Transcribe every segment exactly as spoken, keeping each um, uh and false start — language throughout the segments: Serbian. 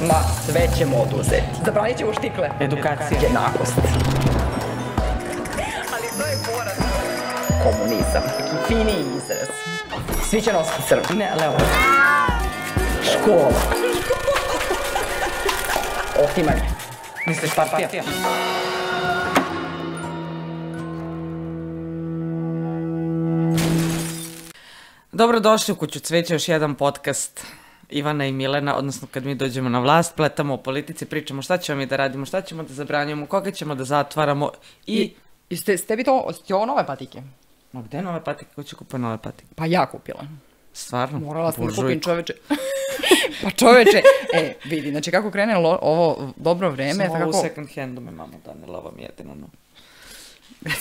Ma, sve ćemo oduzeti. Zabranit ćemo štikle. Edukacija. Jednakost. Ali to je poraz. Komunizam. Neki finiji izraz. Svi će nositi crno. Ne, levo. Škola. Otimanje. Misliš partija? Dobrodošli u Kuću cveća, još jedan podcast Ivana i Milena, odnosno kad mi dođemo na vlast, pletamo o politici, pričamo šta ćemo mi da radimo, šta ćemo da zabranjujemo, koga ćemo da zatvaramo i... I ste, ste vi to, ste ovo nove patike? Ma gde nove patike? Ko će kupiti nove patike? Pa ja kupila. Stvarno? Morala sam da kupim, čoveče. Pa čoveče, e, vidi, znači kako krene lo, ovo dobro vreme... Samo tako... u second handu me mamo danila, ovo mi jedino, no.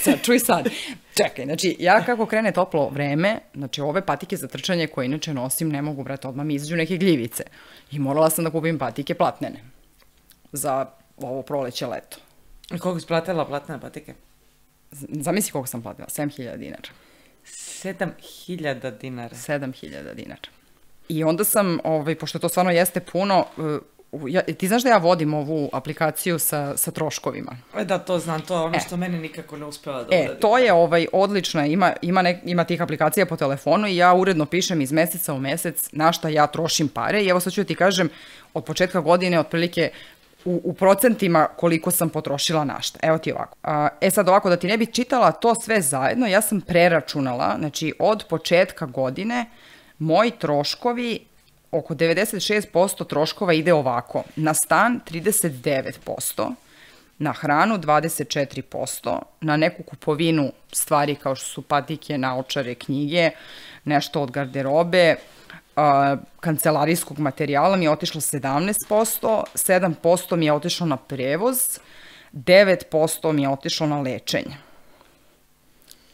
Sad, čuj sad. Čekaj, znači, ja kako krene toplo vreme, znači ove patike za trčanje koje inače nosim ne mogu, brate, odmah mi izađu neke gljivice. I morala sam da kupim patike platnene za ovo proleće leto. I koliko si platila platnene patike? Zamisli koliko sam platila, sedam hiljada dinara. sedam hiljada dinara? sedam hiljada dinara. I onda sam, ovaj, pošto to stvarno jeste puno, ja, ti znaš da ja vodim ovu aplikaciju sa, sa troškovima? E da, to znam, to je ono e. što meni nikako ne uspeva da E, uradim. to je ovaj, odlično, ima, ima, nek, ima tih aplikacija po telefonu i ja uredno pišem iz meseca u mesec na šta ja trošim pare i evo sad ću ti kažem, od početka godine otprilike u, u procentima koliko sam potrošila na šta. Evo ti ovako. A, e sad ovako, da ti ne bi čitala to sve zajedno, ja sam preračunala, znači od početka godine moji troškovi, oko devedeset šest posto troškova ide ovako. Na stan trideset devet posto, na hranu dvadeset četiri posto, na neku kupovinu stvari kao što su patike, naočare, knjige, nešto od garderobe, a, kancelarijskog materijala mi je otišlo sedamnaest posto, sedam posto mi je otišlo na prevoz, devet posto mi je otišlo na lečenje.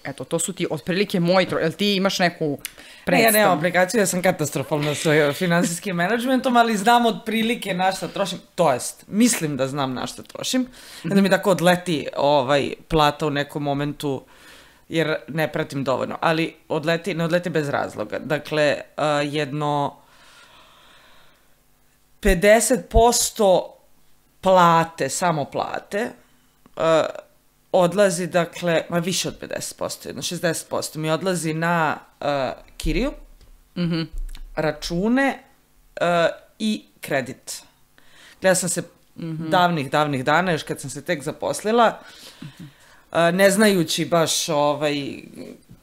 Eto, to su ti otprilike moji troškovi. Jel ti imaš neku predstavu? Ne, ja nemam aplikaciju, ja sam katastrofalna sa finansijskim menadžmentom, ali znam otprilike na šta trošim. To jest, mislim da znam na šta trošim. Da mi tako odleti ovaj, plata u nekom momentu, jer ne pratim dovoljno. Ali odleti, ne odleti bez razloga. Dakle, uh, jedno pedeset posto plate, samo plate, uh, odlazi, dakle, ma više od pedeset posto, jedno šezdeset posto mi odlazi na uh, kiriju, Mhm. račune uh, i kredit. Gledala sam se mm-hmm. davnih, davnih dana, još kad sam se tek zaposlila, uh, ne znajući baš ovaj,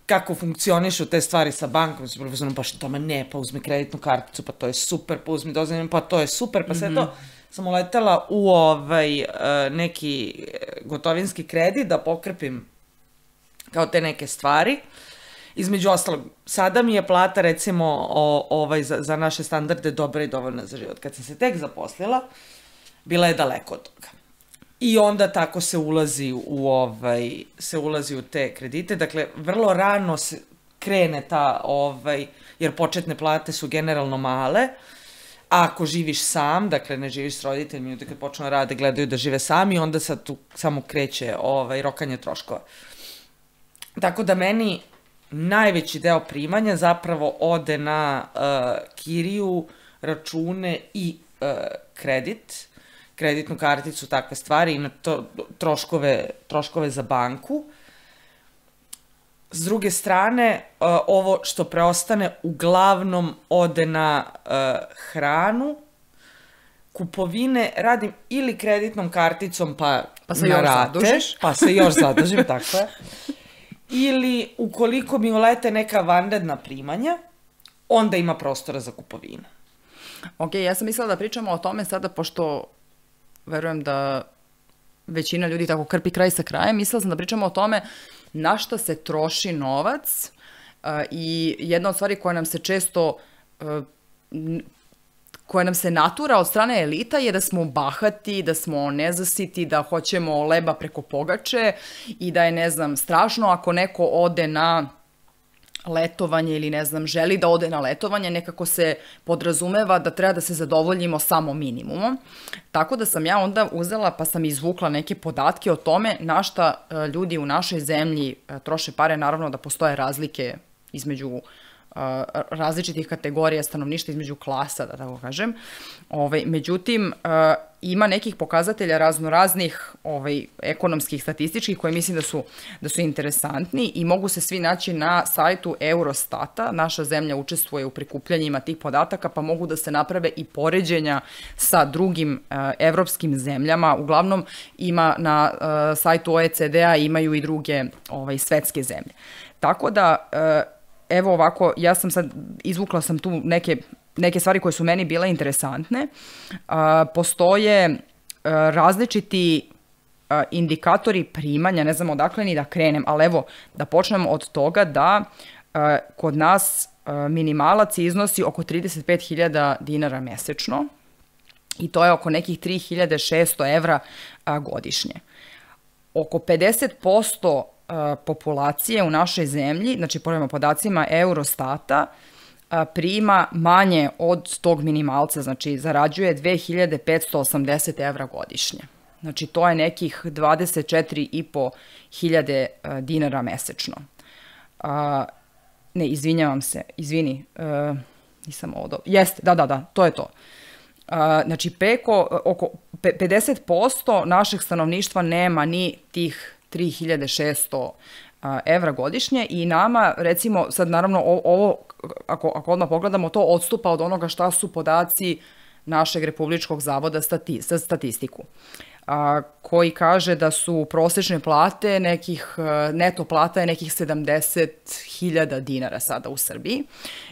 kako funkcionišu te stvari sa bankom, su profesionalno, pa što, ma ne, pa uzmi kreditnu karticu, pa to je super, pa uzmi dozvoljeno, pa to je super, pa sve mm-hmm. to. Sam uletela u ovaj, neki gotovinski kredit da pokrpim kao te neke stvari. Između ostalog, sada mi je plata recimo o, ovaj, za, za naše standarde dobra i dovoljna za život. Kad sam se tek zaposlila, bila je daleko od toga. I onda tako se ulazi u, ovaj, se ulazi u te kredite. Dakle, vrlo rano se krene ta, ovaj, jer početne plate su generalno male. A ako živiš sam, dakle ne živiš s roditeljima, ljudi kad počnu da rade, gledaju da žive sami, onda sad tu samo kreće ovaj, rokanje troškova. Tako da meni najveći deo primanja zapravo ode na uh, kiriju, račune i uh, kredit, kreditnu karticu, takve stvari i na to, troškove, troškove za banku. S druge strane, uh, ovo što preostane uglavnom ode na uh, hranu, kupovine radim ili kreditnom karticom pa, pa se na još rate, zadužiš. pa se još zadužim, tako je. Ili ukoliko mi ulete neka vanredna primanja, onda ima prostora za kupovinu. Ok, ja sam mislila da pričamo o tome sada, pošto verujem da većina ljudi tako krpi kraj sa krajem, mislila sam da pričamo o tome na šta se troši novac uh, i jedna od stvari koja nam se često, uh, koja nam se natura od strane elita je da smo bahati, da smo nezasiti, da hoćemo leba preko pogače i da je, ne znam, strašno ako neko ode na letovanje ili, ne znam, želi da ode na letovanje, nekako se podrazumeva da treba da se zadovoljimo samo minimumom. Tako da sam ja onda uzela pa sam izvukla neke podatke o tome na šta ljudi u našoj zemlji troše pare. Naravno da postoje razlike između različitih kategorija stanovništva, između klasa, da tako kažem. Ovaj, međutim, ima nekih pokazatelja raznoraznih ovaj, ekonomskih, statističkih koje mislim da su, da su interesantni i mogu se svi naći na sajtu Eurostata. Naša zemlja učestvuje u prikupljanjima tih podataka, pa mogu da se naprave i poređenja sa drugim uh, evropskim zemljama. Uglavnom ima na uh, sajtu O E C D-a imaju i druge ovaj, svetske zemlje. Tako da, uh, evo ovako, ja sam sad, izvukla sam tu neke neke stvari koje su meni bile interesantne. Uh, postoje uh, različiti uh, indikatori primanja, ne znam odakle ni da krenem, ali evo da počnemo od toga da uh, kod nas uh, minimalac iznosi oko trideset pet hiljada dinara mesečno i to je oko nekih tri hiljade šesto evra uh, godišnje. Oko pedeset posto uh, populacije u našoj zemlji, znači prema podacima Eurostata, prima manje od tog minimalca, znači zarađuje dve hiljade petsto osamdeset evra godišnje. Znači to je nekih dvadeset četiri i po hiljade dinara mesečno. A, ne, izvinjavam se, izvini, a, nisam ovo dobro. Jeste, da, da, da, to je to. A, znači preko, oko pedeset posto našeg stanovništva nema ni tih tri hiljade šesto evra godišnje i nama, recimo, sad naravno ovo, ako, ako odmah pogledamo, to odstupa od onoga šta su podaci našeg Republičkog zavoda stati, za statistiku, a, koji kaže da su prosečne plate nekih, neto plata je nekih sedamdeset hiljada dinara sada u Srbiji.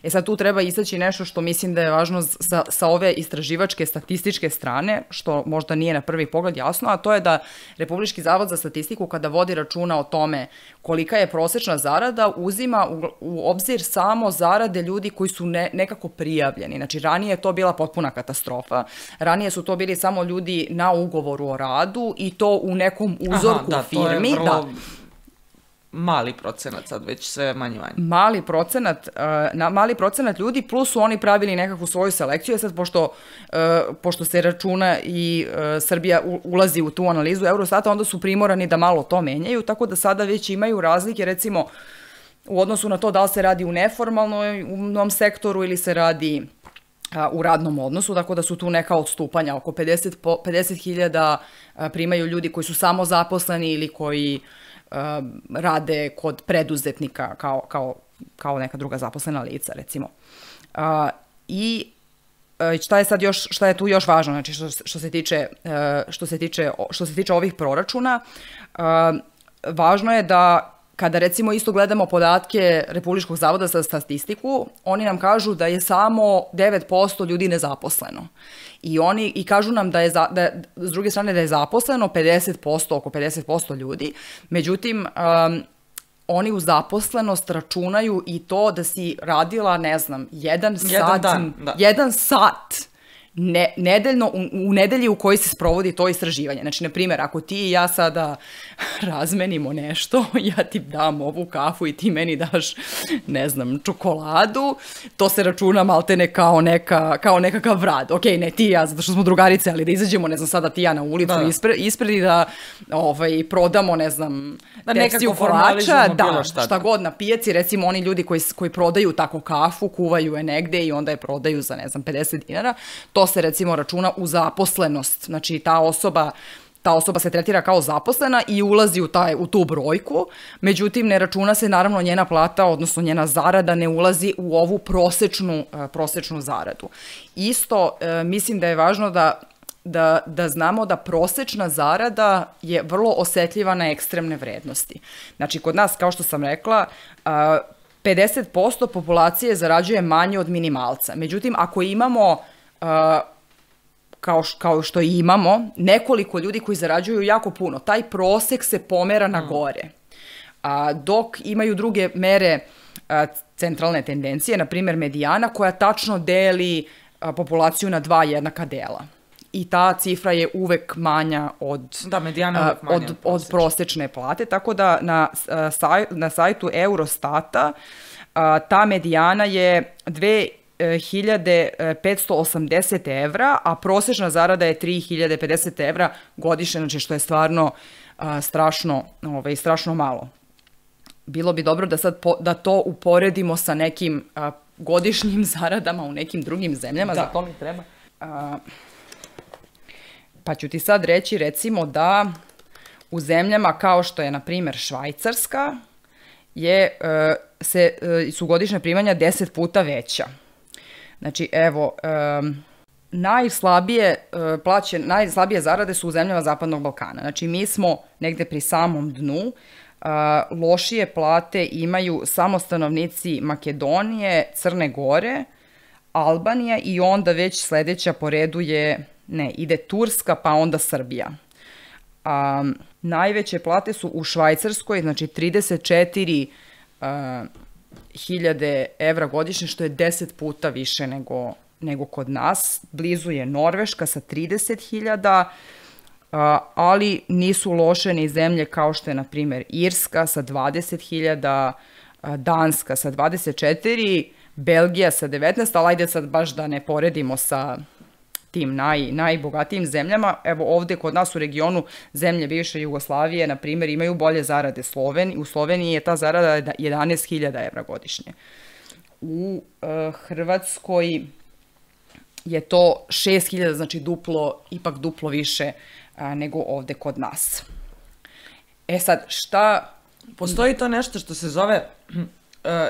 E sad tu treba istaći nešto što mislim da je važno sa, sa ove istraživačke statističke strane, što možda nije na prvi pogled jasno, a to je da Republički zavod za statistiku kada vodi računa o tome kolika je prosečna zarada, uzima u, u obzir samo zarade ljudi koji su ne, nekako prijavljeni. Znači ranije je to bila potpuna katastrofa, ranije su to bili samo ljudi na ugovoru o radu i to u nekom uzorku Aha, da, firmi. To je vrlo da. Mali procenat, sad već sve manje manje. Mali procenat, uh, na, mali procenat ljudi, plus su oni pravili nekakvu svoju selekciju, sad pošto, uh, pošto se računa i uh, Srbija u, ulazi u tu analizu Eurostata, onda su primorani da malo to menjaju, tako da sada već imaju razlike, recimo, u odnosu na to da li se radi u neformalnom sektoru ili se radi u radnom odnosu, tako da su tu neka odstupanja, oko pedeset hiljada primaju ljudi koji su samo zaposleni ili koji uh, rade kod preduzetnika kao, kao, kao neka druga zaposlena lica, recimo. Uh, I uh, šta je sad još, šta je tu još važno, znači što, što se tiče, uh, što se tiče, što se tiče ovih proračuna, uh, važno je da kada recimo isto gledamo podatke Republičkog zavoda za statistiku, oni nam kažu da je samo devet posto ljudi nezaposleno. I oni i kažu nam da je, za, da je s druge strane da je zaposleno pedeset posto, oko pedeset posto ljudi. Međutim, um, oni u zaposlenost računaju i to da si radila, ne znam, jedan, jedan sat, dan, da. jedan sat Ne, nedeljno, u, u nedelji u kojoj se sprovodi to istraživanje. Znači, na primjer, ako ti i ja sada razmenimo nešto, ja ti dam ovu kafu i ti meni daš, ne znam, čokoladu, to se računa maltene kao, neka, kao nekakav rad. Ok, ne ti i ja, zato što smo drugarice, ali da izađemo, ne znam, sada ti i ja na ulicu da. ispred, ispred i da ovaj, prodamo, ne znam, da tekstiju kolača, da, šta, šta god na pijaci, recimo oni ljudi koji, koji prodaju tako kafu, kuvaju je negde i onda je prodaju za, ne znam, pedeset dinara, to se recimo računa u zaposlenost. Znači ta osoba, ta osoba se tretira kao zaposlena i ulazi u, taj, u tu brojku, međutim ne računa se naravno njena plata, odnosno njena zarada ne ulazi u ovu prosečnu, prosečnu zaradu. Isto mislim da je važno da, da, da znamo da prosečna zarada je vrlo osetljiva na ekstremne vrednosti. Znači kod nas, kao što sam rekla, pedeset posto populacije zarađuje manje od minimalca. Međutim, ako imamo Uh, kao, š, kao što i imamo, nekoliko ljudi koji zarađuju jako puno. Taj prosek se pomera na gore. Uh, dok imaju druge mere uh, centralne tendencije, na primjer medijana, koja tačno deli uh, populaciju na dva jednaka dela. I ta cifra je uvek manja od, da, medijana uvek manja od, od, od prosečne plate. Tako da na, uh, saj, na sajtu Eurostata uh, ta medijana je dve hiljade petsto osamdeset evra, a prosečna zarada je tri hiljade pedeset evra godišnje, znači što je stvarno uh, strašno, ovaj, strašno malo. bilo bi dobro da sad po, da to uporedimo sa nekim a, godišnjim zaradama u nekim drugim zemljama, da. Za to mi treba. A, pa ću ti sad reći recimo da u zemljama kao što je na primjer Švajcarska je, a, se, a, su godišnja primanja deset puta veća. Znači evo, a, najslabije plaće, najslabije zarade su u zemljama Zapadnog Balkana. Znači mi smo negde pri samom dnu. Uh, lošije plate imaju samo stanovnici Makedonije, Crne Gore, Albanija i onda već sledeća po redu je, ne, ide Turska pa onda Srbija. Um, najveće plate su u Švajcarskoj, znači trideset četiri hiljade evra godišnje, što je deset puta više nego, nego kod nas. Blizu je Norveška sa trideset hiljada, ali nisu loše ni zemlje kao što je, na primjer, Irska sa dvadeset hiljada, Danska sa dvadeset četiri, Belgija sa devetnaest, ali ajde sad baš da ne poredimo sa tim naj, najbogatijim zemljama. Evo ovde kod nas u regionu zemlje bivše Jugoslavije, na primjer, imaju bolje zarade. Sloveni, u Sloveniji je ta zarada jedanaest hiljada evra godišnje. U uh, Hrvatskoj je to šest hiljada, znači duplo, ipak duplo više a, nego ovde kod nas. E sad, šta... Postoji to nešto što se zove uh,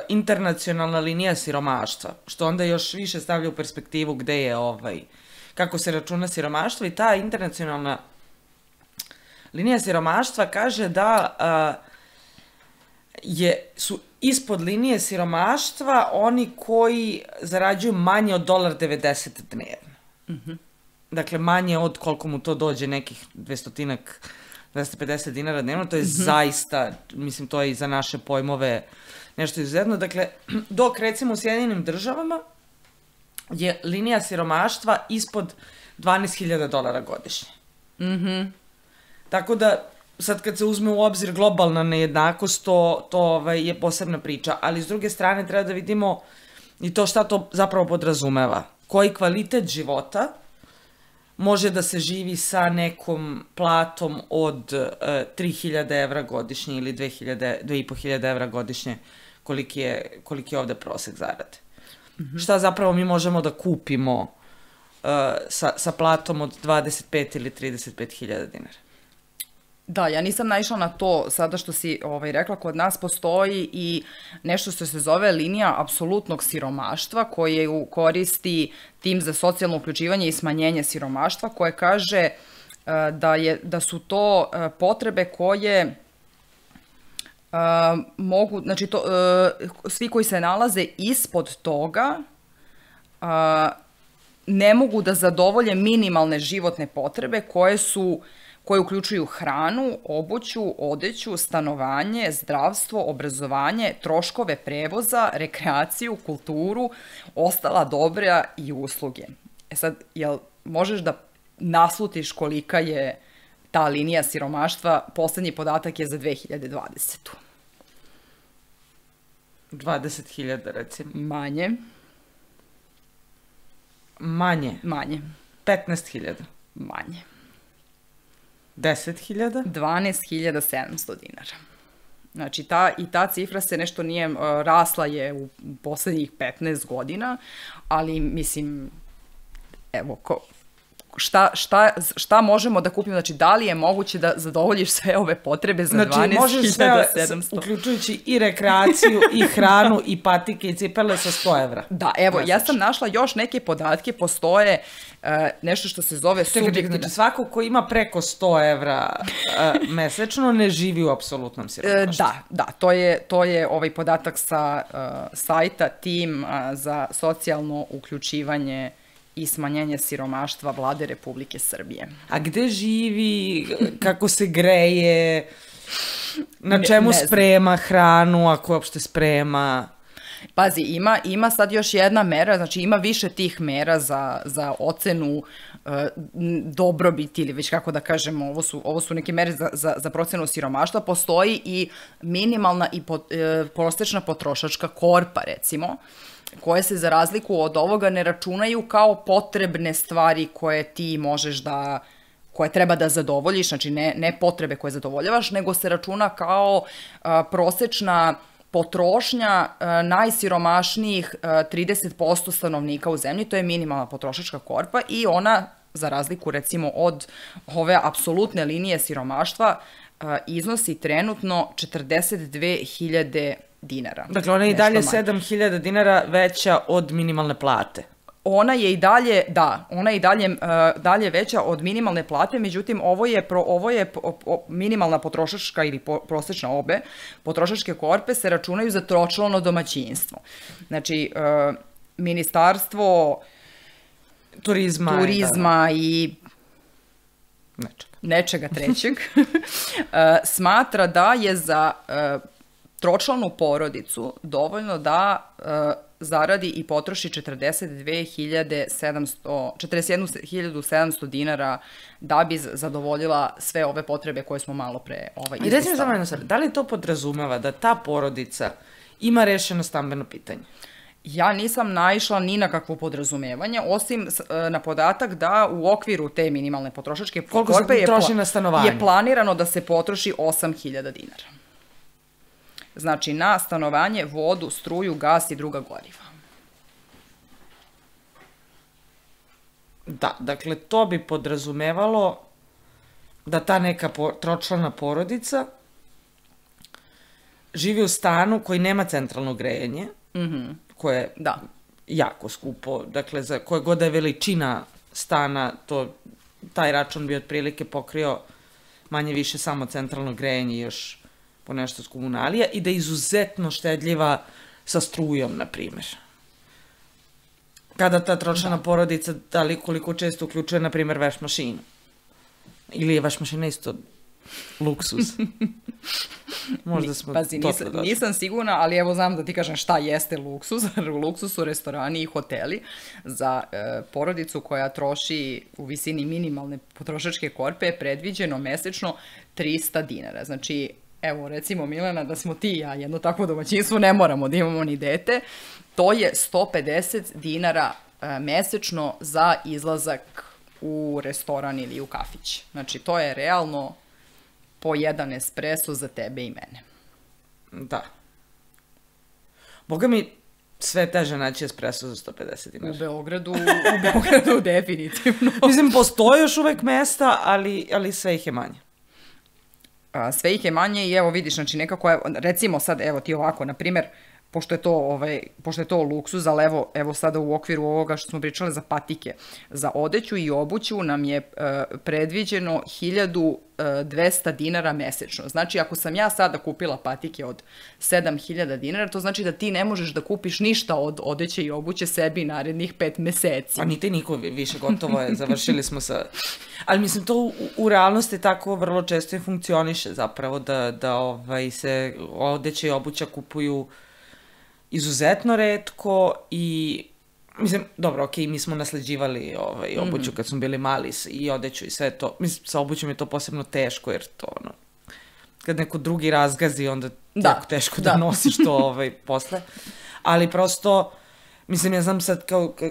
internacionalna linija siromaštva, što onda još više stavlja u perspektivu gde je ovaj, kako se računa siromaštvo, i ta internacionalna linija siromaštva kaže da uh, je, su ispod linije siromaštva oni koji zarađuju manje od dolar devedeset dnevno. Mm-hmm. Dakle, manje od koliko mu to dođe, nekih dvestotinak, dvesta pedeset dinara dnevno, to je mm-hmm. zaista, mislim, to je i za naše pojmove nešto izuzetno. Dakle, dok recimo u Sjedinjenim državama je linija siromaštva ispod dvanaest hiljada dolara godišnje. Mhm. Tako da, sad kad se uzme u obzir globalna nejednakost, to, to ovaj, je posebna priča, ali s druge strane treba da vidimo i to šta to zapravo podrazumeva. Koji kvalitet života može da se živi sa nekom platom od uh, tri hiljade evra godišnje ili dve hiljade, dve i po hiljade evra godišnje, koliki je, koliki je ovde prosek zarade. Mm-hmm. Šta zapravo mi možemo da kupimo uh, sa, sa platom od dvadeset pet ili trideset pet hiljada dinara? Da, ja nisam naišla na to sada što si ovaj, rekla, kod nas postoji i nešto što se zove linija apsolutnog siromaštva koje koristi tim za socijalno uključivanje i smanjenje siromaštva, koje kaže uh, da, je, da su to uh, potrebe koje uh, mogu, znači to, uh, svi koji se nalaze ispod toga uh, ne mogu da zadovolje minimalne životne potrebe koje su koje uključuju hranu, obuću, odeću, stanovanje, zdravstvo, obrazovanje, troškove prevoza, rekreaciju, kulturu, ostala dobra i usluge. E sad, jel možeš da naslutiš kolika je ta linija siromaštva? Poslednji podatak je za dve hiljade dvadesetu. dvadeset hiljada, recimo. Manje. Manje? Manje. petnaest hiljada? Manje. deset hiljada? dvanaest hiljada sedamsto dinara. Znači, ta, i ta cifra se nešto nije, uh, rasla je u poslednjih petnaest godina, ali mislim, evo, ko, šta, šta, šta možemo da kupimo? Znači, da li je moguće da zadovoljiš sve ove potrebe za znači, dvanaest hiljada sedamsto? Znači, uključujući i rekreaciju, i hranu, i patike, i cipele sa sto evra. Da, evo, ja sam našla još neke podatke, postoje uh, nešto što se zove subjektivna. Znači, svako ko ima preko sto evra uh, mesečno ne živi u apsolutnom siromaštvu. Uh, da, da, to je, to je ovaj podatak sa uh, sajta Tim uh, za socijalno uključivanje i smanjenje siromaštva Vlade Republike Srbije. A gde živi, kako se greje, na čemu ne, ne sprema hranu, ako uopšte sprema? Pazi, ima, ima sad još jedna mera, znači ima više tih mera za, za ocenu uh, dobrobiti ili već kako da kažemo, ovo su, ovo su neke mere za, za, za procenu siromaštva. Postoji i minimalna i pot, uh, prosečna potrošačka korpa, recimo, koje se za razliku od ovoga ne računaju kao potrebne stvari koje ti možeš da koje treba da zadovoljiš, znači ne, ne potrebe koje zadovoljavaš, nego se računa kao a, prosečna potrošnja a, najsiromašnijih a, trideset posto stanovnika u zemlji, to je minimalna potrošačka korpa i ona, za razliku recimo od ove apsolutne linije siromaštva, a, iznosi trenutno četrdeset dve hiljade dinara. Dakle, ona je i dalje sedam hiljada dinara veća od minimalne plate. Ona je i dalje, da, ona je i dalje, uh, dalje veća od minimalne plate, međutim, ovo je, pro, ovo je po, po, minimalna potrošačka ili po, prosečna obe, potrošačke korpe se računaju za tročlano domaćinstvo. Znači, uh, ministarstvo turizma, turizma i nečega, nečega trećeg uh, smatra da je za uh, tročlanu porodicu dovoljno da uh, zaradi i potroši četrdeset dve hiljade sedamsto, četrdeset jednu hiljadu sedamsto dinara da bi zadovoljila sve ove potrebe koje smo malo pre ovaj, izlistali. I recimo samo jedno sad, da li to podrazumeva da ta porodica ima rešeno stambeno pitanje? Ja nisam naišla ni na kakvo podrazumevanje, osim na podatak da u okviru te minimalne potrošačke koliko korpe se troši na stanovanje? Je planirano da se potroši osam hiljada dinara. Znači, na stanovanje, vodu, struju, gas i druga goriva. Da, dakle, to bi podrazumevalo da ta neka po, tročlana porodica živi u stanu koji nema centralno grejanje, mm-hmm. koje je da. jako skupo. Dakle, za koje god je veličina stana, to, taj račun bi otprilike pokrio manje više samo centralno grejanje i još po nešto s komunalija i da je izuzetno štedljiva sa strujom, na primjer. Kada ta tročlana porodica, da li koliko često uključuje, na primjer, veš mašinu? Ili je veš mašina isto luksuz? Možda smo Pazi, nisam, nisam sigurna, ali evo znam da ti kažem šta jeste luksuz. Luksuz su restorani i hoteli za e, porodicu koja troši u visini minimalne potrošačke korpe je predviđeno mesečno trista dinara. Znači, evo, recimo, Milena, da smo ti i ja jedno takvo domaćinstvo, ne moramo da imamo ni dete, to je sto pedeset dinara e, mesečno za izlazak u restoran ili u kafić. Znači, to je realno po jedan espresso za tebe i mene. Da. Boga mi sve teže naći espresso za sto pedeset dinara. U Beogradu, u Beogradu definitivno. Mislim, postoje još uvek mesta, ali, ali sve ih je manje. Sve ih je manje i evo vidiš, znači nekako, recimo sad, evo ti ovako, na primjer, pošto je to, ovaj, pošto je to luksuz, ali evo, evo sada u okviru ovoga što smo pričali za patike, za odeću i obuću nam je uh, predviđeno hiljadu dvesta dinara mesečno. Znači, ako sam ja sada kupila patike od sedam hiljada dinara, to znači da ti ne možeš da kupiš ništa od odeće i obuće sebi narednih pet meseci. Pa niti niko više, gotovo je, završili smo sa... Ali mislim, to u, u realnosti tako vrlo često i funkcioniše zapravo, da, da ovaj, se odeće i obuća kupuju izuzetno retko i... Mislim, dobro, okej, mi smo nasleđivali ovaj, obuću kad smo bili mali i odeću i sve to. Mislim, sa obućom je to posebno teško, jer to, ono, kad neko drugi razgazi, onda da, jako teško da, da nosiš to ovaj, posle. Ali prosto, mislim, ja znam sad kao, kao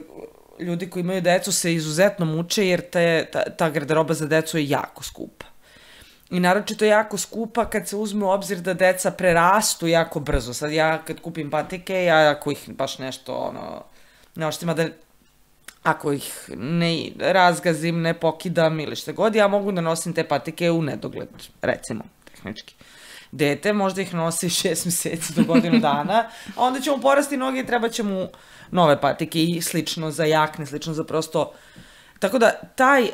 ljudi koji imaju decu se izuzetno muče, jer te, ta, ta garderoba za decu je jako skupa. I naročito je jako skupa kad se uzme u obzir da deca prerastu jako brzo. Sad ja kad kupim patike, ja ako ih baš nešto, ono, ne oštima da, ako ih ne razgazim, ne pokidam ili šta god, ja mogu da nosim te patike u nedogled, recimo, tehnički. Dete možda ih nosi šest meseci do godinu dana, a onda će mu porasti noge i treba će mu nove patike i slično za jakne, slično za prosto... Tako da, taj uh,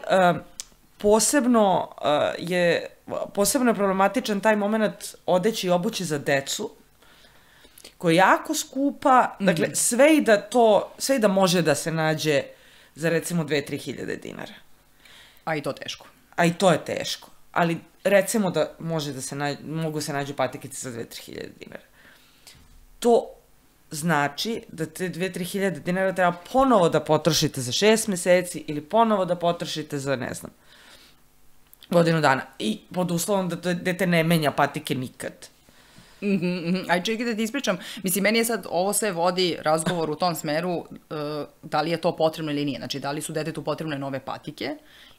posebno uh, je, posebno je problematičan taj moment odeći i obući za decu, koja je jako skupa, mm. dakle, sve i da to, sve i da može da se nađe za recimo dve do tri hiljade dinara. A i to teško. A i to je teško. Ali recimo da može da se nađe, mogu se nađu patikice za dve do tri hiljade dinara. To znači da te dve do tri hiljade dinara treba ponovo da potrošite za šest meseci ili ponovo da potrošite za, ne znam, godinu dana. I pod uslovom da to dete ne menja patike nikad. Mm-hmm. Aj čekaj da ti ispričam, mislim, meni je sad ovo sve vodi razgovor u tom smeru uh, da li je to potrebno ili nije, znači da li su detetu potrebne nove patike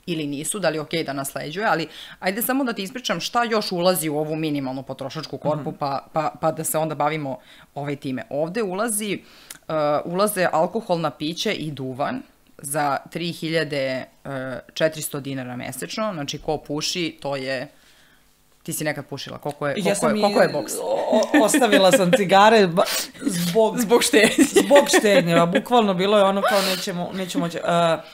ili nisu, da li je okej da nasleđuje, ali ajde samo da ti ispričam šta još ulazi u ovu minimalnu potrošačku korpu, mm-hmm. pa, pa, pa da se onda bavimo ovaj time. Ovde ulazi, uh, ulaze alkoholna piće i duvan za tri hiljade četiristo dinara mesečno, znači ko puši, to je... Ti si nekad pušila, koliko je, koliko ja je, koliko je boks? O, ostavila sam cigare zbog... Zbog štednje. Zbog štednje, bukvalno bilo je ono kao nećemo, nećemo moći... Uh,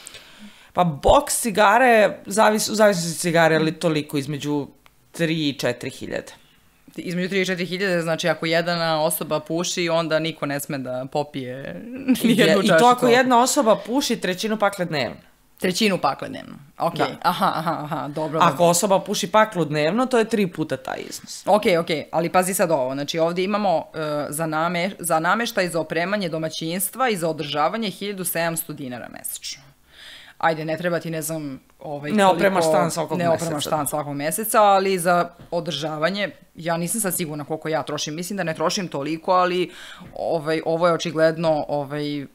pa boks cigare, zavis, u zavisnosti cigare, ali toliko, između tri i četiri hiljade. Između tri i četiri hiljade, znači ako jedna osoba puši, onda niko ne sme da popije nijednu čašu. I to ako jedna osoba puši trećinu pakle dnevno. Trećinu pakle dnevno. Ok, da. aha, aha, aha, dobro. Ako dobro. osoba puši paklu dnevno, to je tri puta taj iznos. Ok, ok, ali pazi sad ovo. Znači ovdje imamo uh, za, name, za nameštaj za opremanje domaćinstva i za održavanje hiljadu sedamsto dinara mesečno. Ajde, ne treba ti, ne znam, ovaj, ne opremaš stan svakog ne meseca. Ne opremaš stan svakog meseca, ali za održavanje, ja nisam sad sigurna koliko ja trošim. Mislim da ne trošim toliko, ali ovaj, ovo je očigledno ovaj,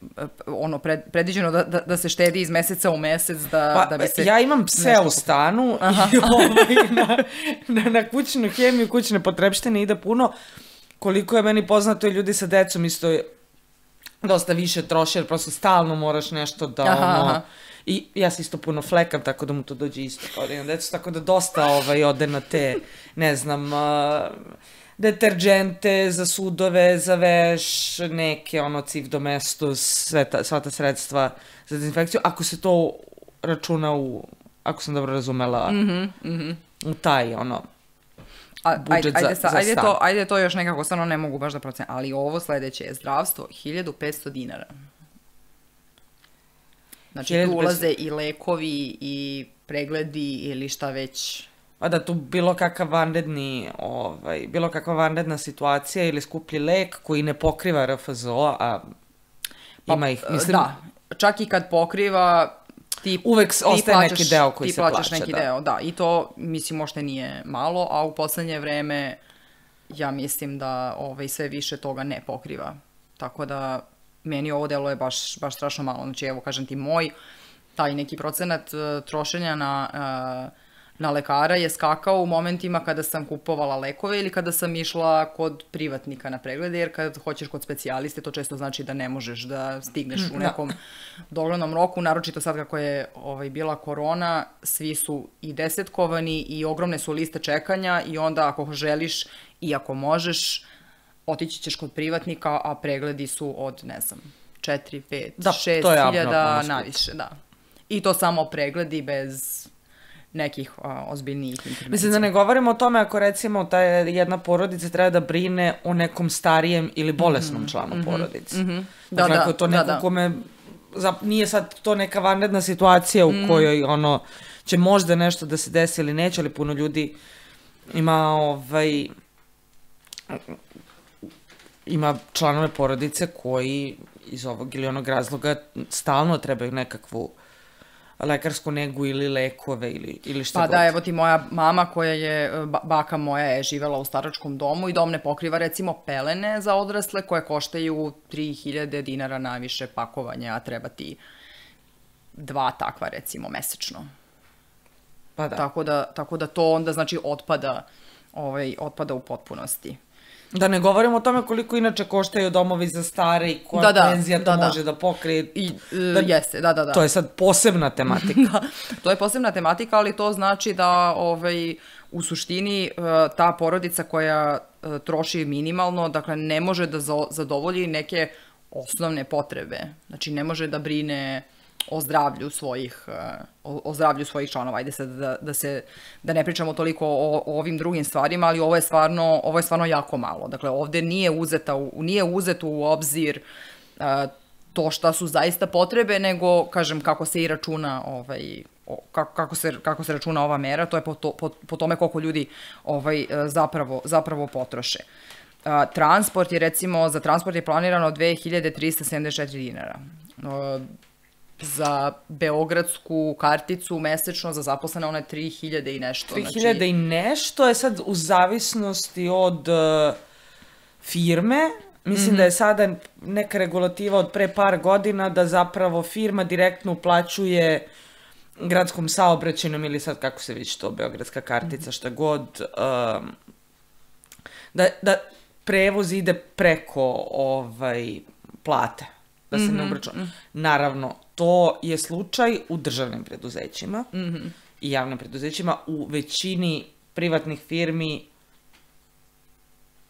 ono, pred, predviđeno da, da, da se štedi iz meseca u mesec. Da, pa, da bi se ja imam pse u stanu i ovaj, na, na, na kućnu hemiju, kućne potrepštine ide puno. Koliko je meni poznato i ljudi sa decom isto je dosta više troši, jer prosto stalno moraš nešto da... Aha, ono, aha. I ja se isto puno flekam, tako da mu to dođe isto kao da imam decu, tako da dosta ovaj, ode na te, ne znam, uh, deterđente za sudove, za veš, neke, ono, civ domestos, sve ta, sva ta sredstva za dezinfekciju, ako se to računa u, ako sam dobro razumela, mm-hmm, mm-hmm. u taj, ono, A, budžet ajde, za, sa, za ajde stan. To, ajde to još nekako, stvarno ne mogu baš da procenim, ali ovo sledeće je zdravstvo, hiljadu petsto dinara. Znači tu ulaze i lekovi i pregledi ili šta već. A da tu bilo kakav vanredni, ovaj, bilo kakva vanredna situacija ili skuplji lek koji ne pokriva R F Z O, a ima pa, ih, mislim... Da, čak i kad pokriva, ti, uvek ti ostaje plaćaš, neki deo koji ti se plaćaš plaća. neki da. deo, da. I to, mislim, možda nije malo, a u poslednje vreme ja mislim da ovaj, sve više toga ne pokriva. Tako da meni ovo delo je baš, baš strašno malo. Znači, evo, kažem ti, moj taj neki procenat uh, trošenja na, uh, na lekara je skakao u momentima kada sam kupovala lekove ili kada sam išla kod privatnika na preglede, jer kad hoćeš kod specijaliste, to često znači da ne možeš da stigneš u nekom doglednom roku, naročito sad kako je ovaj, bila korona, svi su i desetkovani i ogromne su liste čekanja i onda ako želiš i ako možeš, otići ćeš kod privatnika, a pregledi su od, ne znam, četiri, pet, šest hiljada naviše, da. I to samo pregledi bez nekih a, ozbiljnijih intervencija. Mislim da ne govorimo o tome ako recimo ta jedna porodica treba da brine o nekom starijem ili bolesnom mm-hmm, članu mm-hmm, porodice. Mm-hmm. Da, dakle, da, ako je to neko da, da. kome, za, nije sad to neka vanredna situacija u mm. kojoj ono, će možda nešto da se desi ili neće, ali puno ljudi ima ovaj... ima članove porodice koji iz ovog ili onog razloga stalno trebaju nekakvu lekarsku negu ili lekove ili, ili šta pa god. Pa da, evo ti moja mama koja je, baka moja je živela u staračkom domu i dom ne pokriva recimo pelene za odrasle koje koštaju tri hiljade dinara najviše pakovanje, a treba ti dva takva recimo mesečno. Pa da. Tako da, tako da to onda znači otpada, ovaj, otpada u potpunosti. Da ne govorimo o tome koliko inače koštaju domovi za stare i koja da, penzija da, to da, može da, da pokrije. I, da, jeste, da, da, da. To je sad posebna tematika. To je posebna tematika, ali to znači da ovaj, u suštini ta porodica koja troši minimalno, dakle ne može da zadovolji neke osnovne potrebe. Znači ne može da brine o zdravlju svojih, o, o zdravlju svojih članova. Ajde sad da, da se, da ne pričamo toliko o, o ovim drugim stvarima, ali ovo je stvarno, ovo je stvarno jako malo. Dakle, ovde nije uzeta, nije uzeto u obzir uh, to šta su zaista potrebe, nego, kažem, kako se i računa, ovaj, o, kako, kako, se, kako se računa ova mera, to je po, to, po, po tome koliko ljudi ovaj, zapravo, zapravo potroše. Uh, transport je, recimo, za transport je planirano dve hiljade trista sedamdeset četiri dinara. Uh, za beogradsku karticu mesečno za zaposlene ona je tri hiljade i nešto. tri hiljade znači... i nešto je sad u zavisnosti od uh, firme, mislim mm-hmm. da je sada neka regulativa od pre par godina da zapravo firma direktno uplaćuje gradskom saobraćajnom ili sad kako se već to, beogradska kartica, šta god, um, da, da prevoz ide preko ovaj, plate, da se mm-hmm. ne obračuna. Naravno, to je slučaj u državnim preduzećima mm-hmm. i javnim preduzećima. U većini privatnih firmi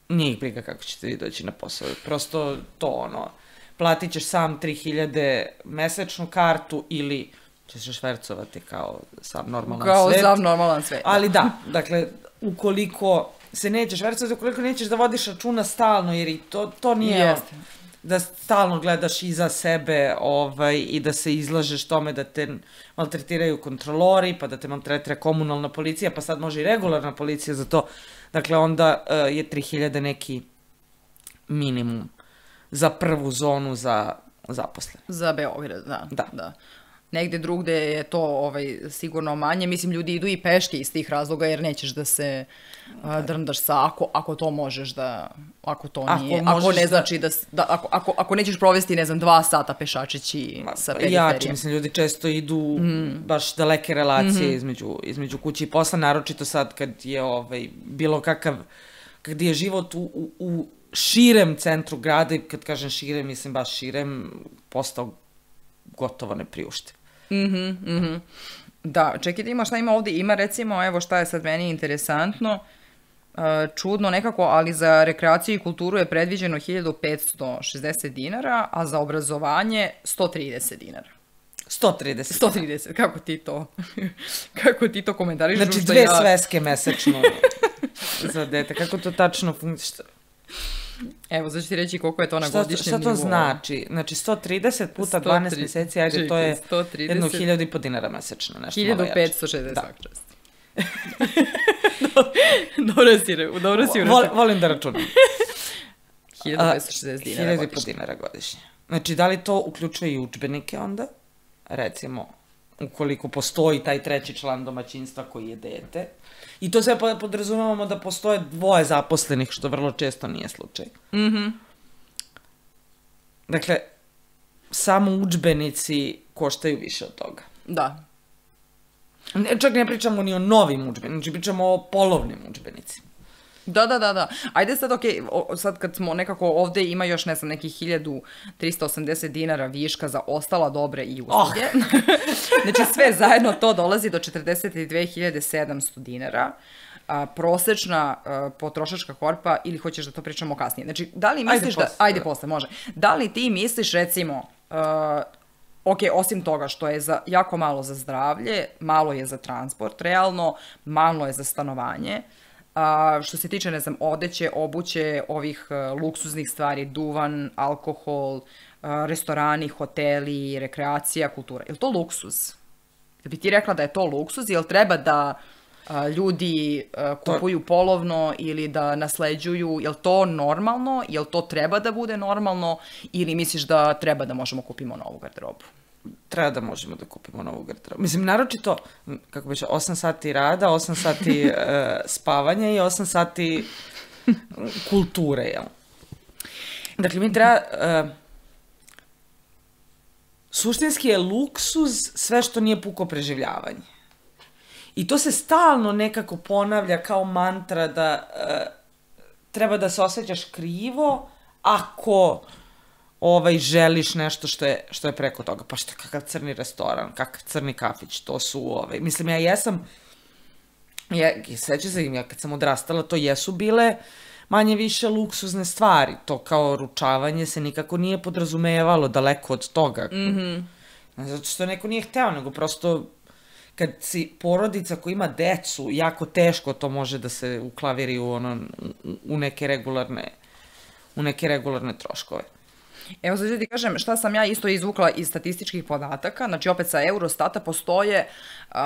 nije ih briga kako ćete vi doći na posao. Prosto to ono, platit ćeš sam tri hiljade mesečnu kartu ili ćeš švercovati kao sam normalan kao svet. Kao sam normalan svet. Ali da, dakle, ukoliko se nećeš švercovati, ukoliko nećeš da vodiš računa stalno, jer i to, to nije... Jeste. Da stalno gledaš iza sebe ovaj, i da se izlažeš tome da te maltretiraju kontrolori, pa da te maltretira komunalna policija, pa sad može i regularna policija za to. Dakle, onda uh, je tri hiljade neki minimum za prvu zonu za zaposlene. Za Beograd, da. Da. da. Negde drugde je to ovaj, sigurno manje. Mislim, ljudi idu i peške iz tih razloga jer nećeš da se uh, drndaš sa, ako, ako to možeš da, ako to ako nije, ako ne znači da, da ako, ako, ako nećeš provesti, ne znam, dva sata pešačeći Ma, sa periferije. Jači, mislim, ljudi često idu mm. baš daleke relacije mm-hmm. između, između kuće i posla, naročito sad kad je ovaj, bilo kakav, kad je život u, u, u širem centru grada, i kad kažem širem, mislim baš širem, postao gotovo nepriuštiv. Mhm, mhm. Da, čekaj da ima šta ima ovdje, ima recimo, evo šta je sad meni interesantno, uh, čudno nekako, ali za rekreaciju i kulturu je predviđeno hiljadu petsto šezdeset dinara, a za obrazovanje sto trideset dinara. sto trideset. sto trideset, kako ti to, kako ti to komentariš? Znači dve ja... sveske mesečno za dete, kako to tačno funkcionira? Evo, znači ti reći koliko je to na godišnjem nivou. Šta to znači? Znači sto trideset puta dvanaest mjeseci, ajde, čekaj, to je jedno hiljadu i po dinara mesečno, nešto malo jače. hiljadu petsto šezdeset svak čast. Dobro si, dobro si Vol, volim da računam. hiljadu petsto šezdeset dinara hiljadu i po dinara godišnje. Znači, da li to uključuje i udžbenike onda? Recimo, ukoliko postoji taj treći član domaćinstva koji je dete. I to sve podrazumevamo da postoje dvoje zaposlenih, što vrlo često nije slučaj. Mhm. Dakle, samo udžbenici koštaju više od toga. Da. Ne, čak ne pričamo ni o novim udžbenicima, znači pričamo o polovnim udžbenicima. Da, da, da, da. Ajde sad, okej, okay, sad kad smo nekako ovde ima još, ne znam, nekih hiljadu trista osamdeset dinara viška za ostala dobre i usluge. Oh. Znači sve zajedno to dolazi do četrdeset dve hiljade sedamsto dinara. A, prosečna a, potrošačka korpa, ili hoćeš da to pričamo kasnije? Znači, da li misliš ajde da... Posle. Ajde posle, može. Da li ti misliš, recimo, a, ok, osim toga što je za, jako malo za zdravlje, malo je za transport, realno, malo je za stanovanje, a, što se tiče, ne znam, odeće, obuće, ovih a, luksuznih stvari, duvan, alkohol, a, restorani, hoteli, rekreacija, kultura. Je li to luksuz? Da bi ti rekla da je to luksuz, jel treba da a, ljudi a, kupuju to... polovno ili da nasleđuju, jel to normalno, jel to treba da bude normalno ili misliš da treba da možemo kupimo novu garderobu? Treba da možemo da kupimo novu garderobu. Mislim, naročito, kako biće, osam sati rada, osam sati uh, spavanja i osam sati kulture, jel? Dakle, mi treba... Uh, suštinski je luksuz sve što nije puko preživljavanje. I to se stalno nekako ponavlja kao mantra da uh, treba da se osjećaš krivo ako ovaj, želiš nešto što je, što je preko toga. Pa što je kakav crni restoran, kakav crni kafić, to su, ovaj, mislim, ja jesam, ja, sveća se im, ja kad sam odrastala, to jesu bile manje više luksuzne stvari. To kao ručavanje se nikako nije podrazumevalo, daleko od toga. Mm-hmm. Zato što neko nije hteo, nego prosto kad si porodica koja ima decu, jako teško to može da se uklaviri u, ono, u neke regularne, u neke regularne troškove. Evo sad ću ti kažem šta sam ja isto izvukla iz statističkih podataka, znači opet sa Eurostata postoje uh,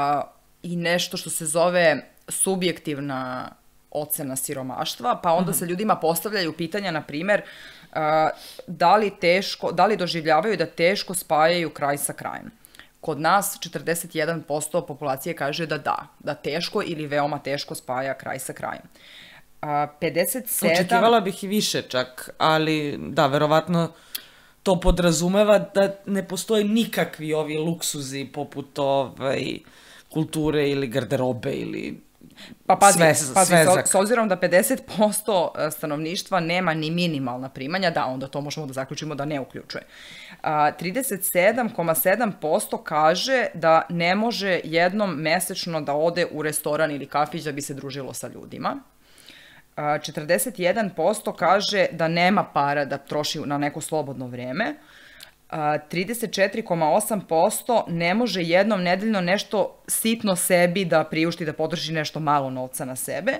i nešto što se zove subjektivna ocena siromaštva, pa onda se ljudima postavljaju pitanja, na primjer, uh, da li teško, da li doživljavaju da teško spajaju kraj sa krajem. Kod nas četrdeset jedan posto populacije kaže da da, da teško ili veoma teško spaja kraj sa krajem. A, pedeset sedam... Očekivala bih i više čak, ali da, verovatno to podrazumeva da ne postoje nikakvi ovi luksuzi poput ovaj, kulture ili garderobe ili pa pazi, sve, pazi svezak. s, s obzirom da pedeset posto stanovništva nema ni minimalna primanja, da, onda to možemo da zaključimo da ne uključuje. A, trideset sedam zarez sedam posto kaže da ne može jednom mesečno da ode u restoran ili kafić da bi se družilo sa ljudima. četrdeset jedan posto kaže da nema para da troši na neko slobodno vreme. trideset četiri zarez osam posto ne može jednom nedeljno nešto sitno sebi da priušti, da potroši nešto malo novca na sebe.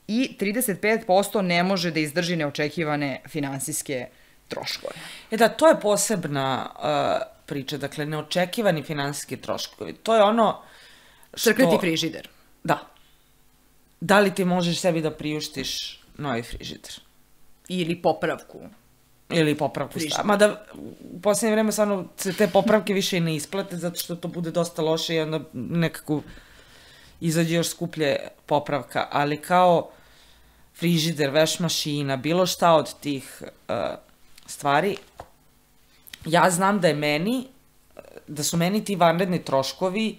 I trideset pet posto ne može da izdrži neočekivane finansijske troškove. E da, to je posebna uh, priča, dakle, neočekivani finansijski troškovi. To je ono što... Crkleti frižider. Da. Da li ti možeš sebi da priuštiš novi frižider? Ili popravku. Ili popravku stava. Mada u posljednje vreme stvarno se te popravke više i ne isplate, zato što to bude dosta loše i onda nekako izađe još skuplje popravka. Ali kao frižider, veš mašina, bilo šta od tih uh, stvari, ja znam da je meni, da su meni ti vanredni troškovi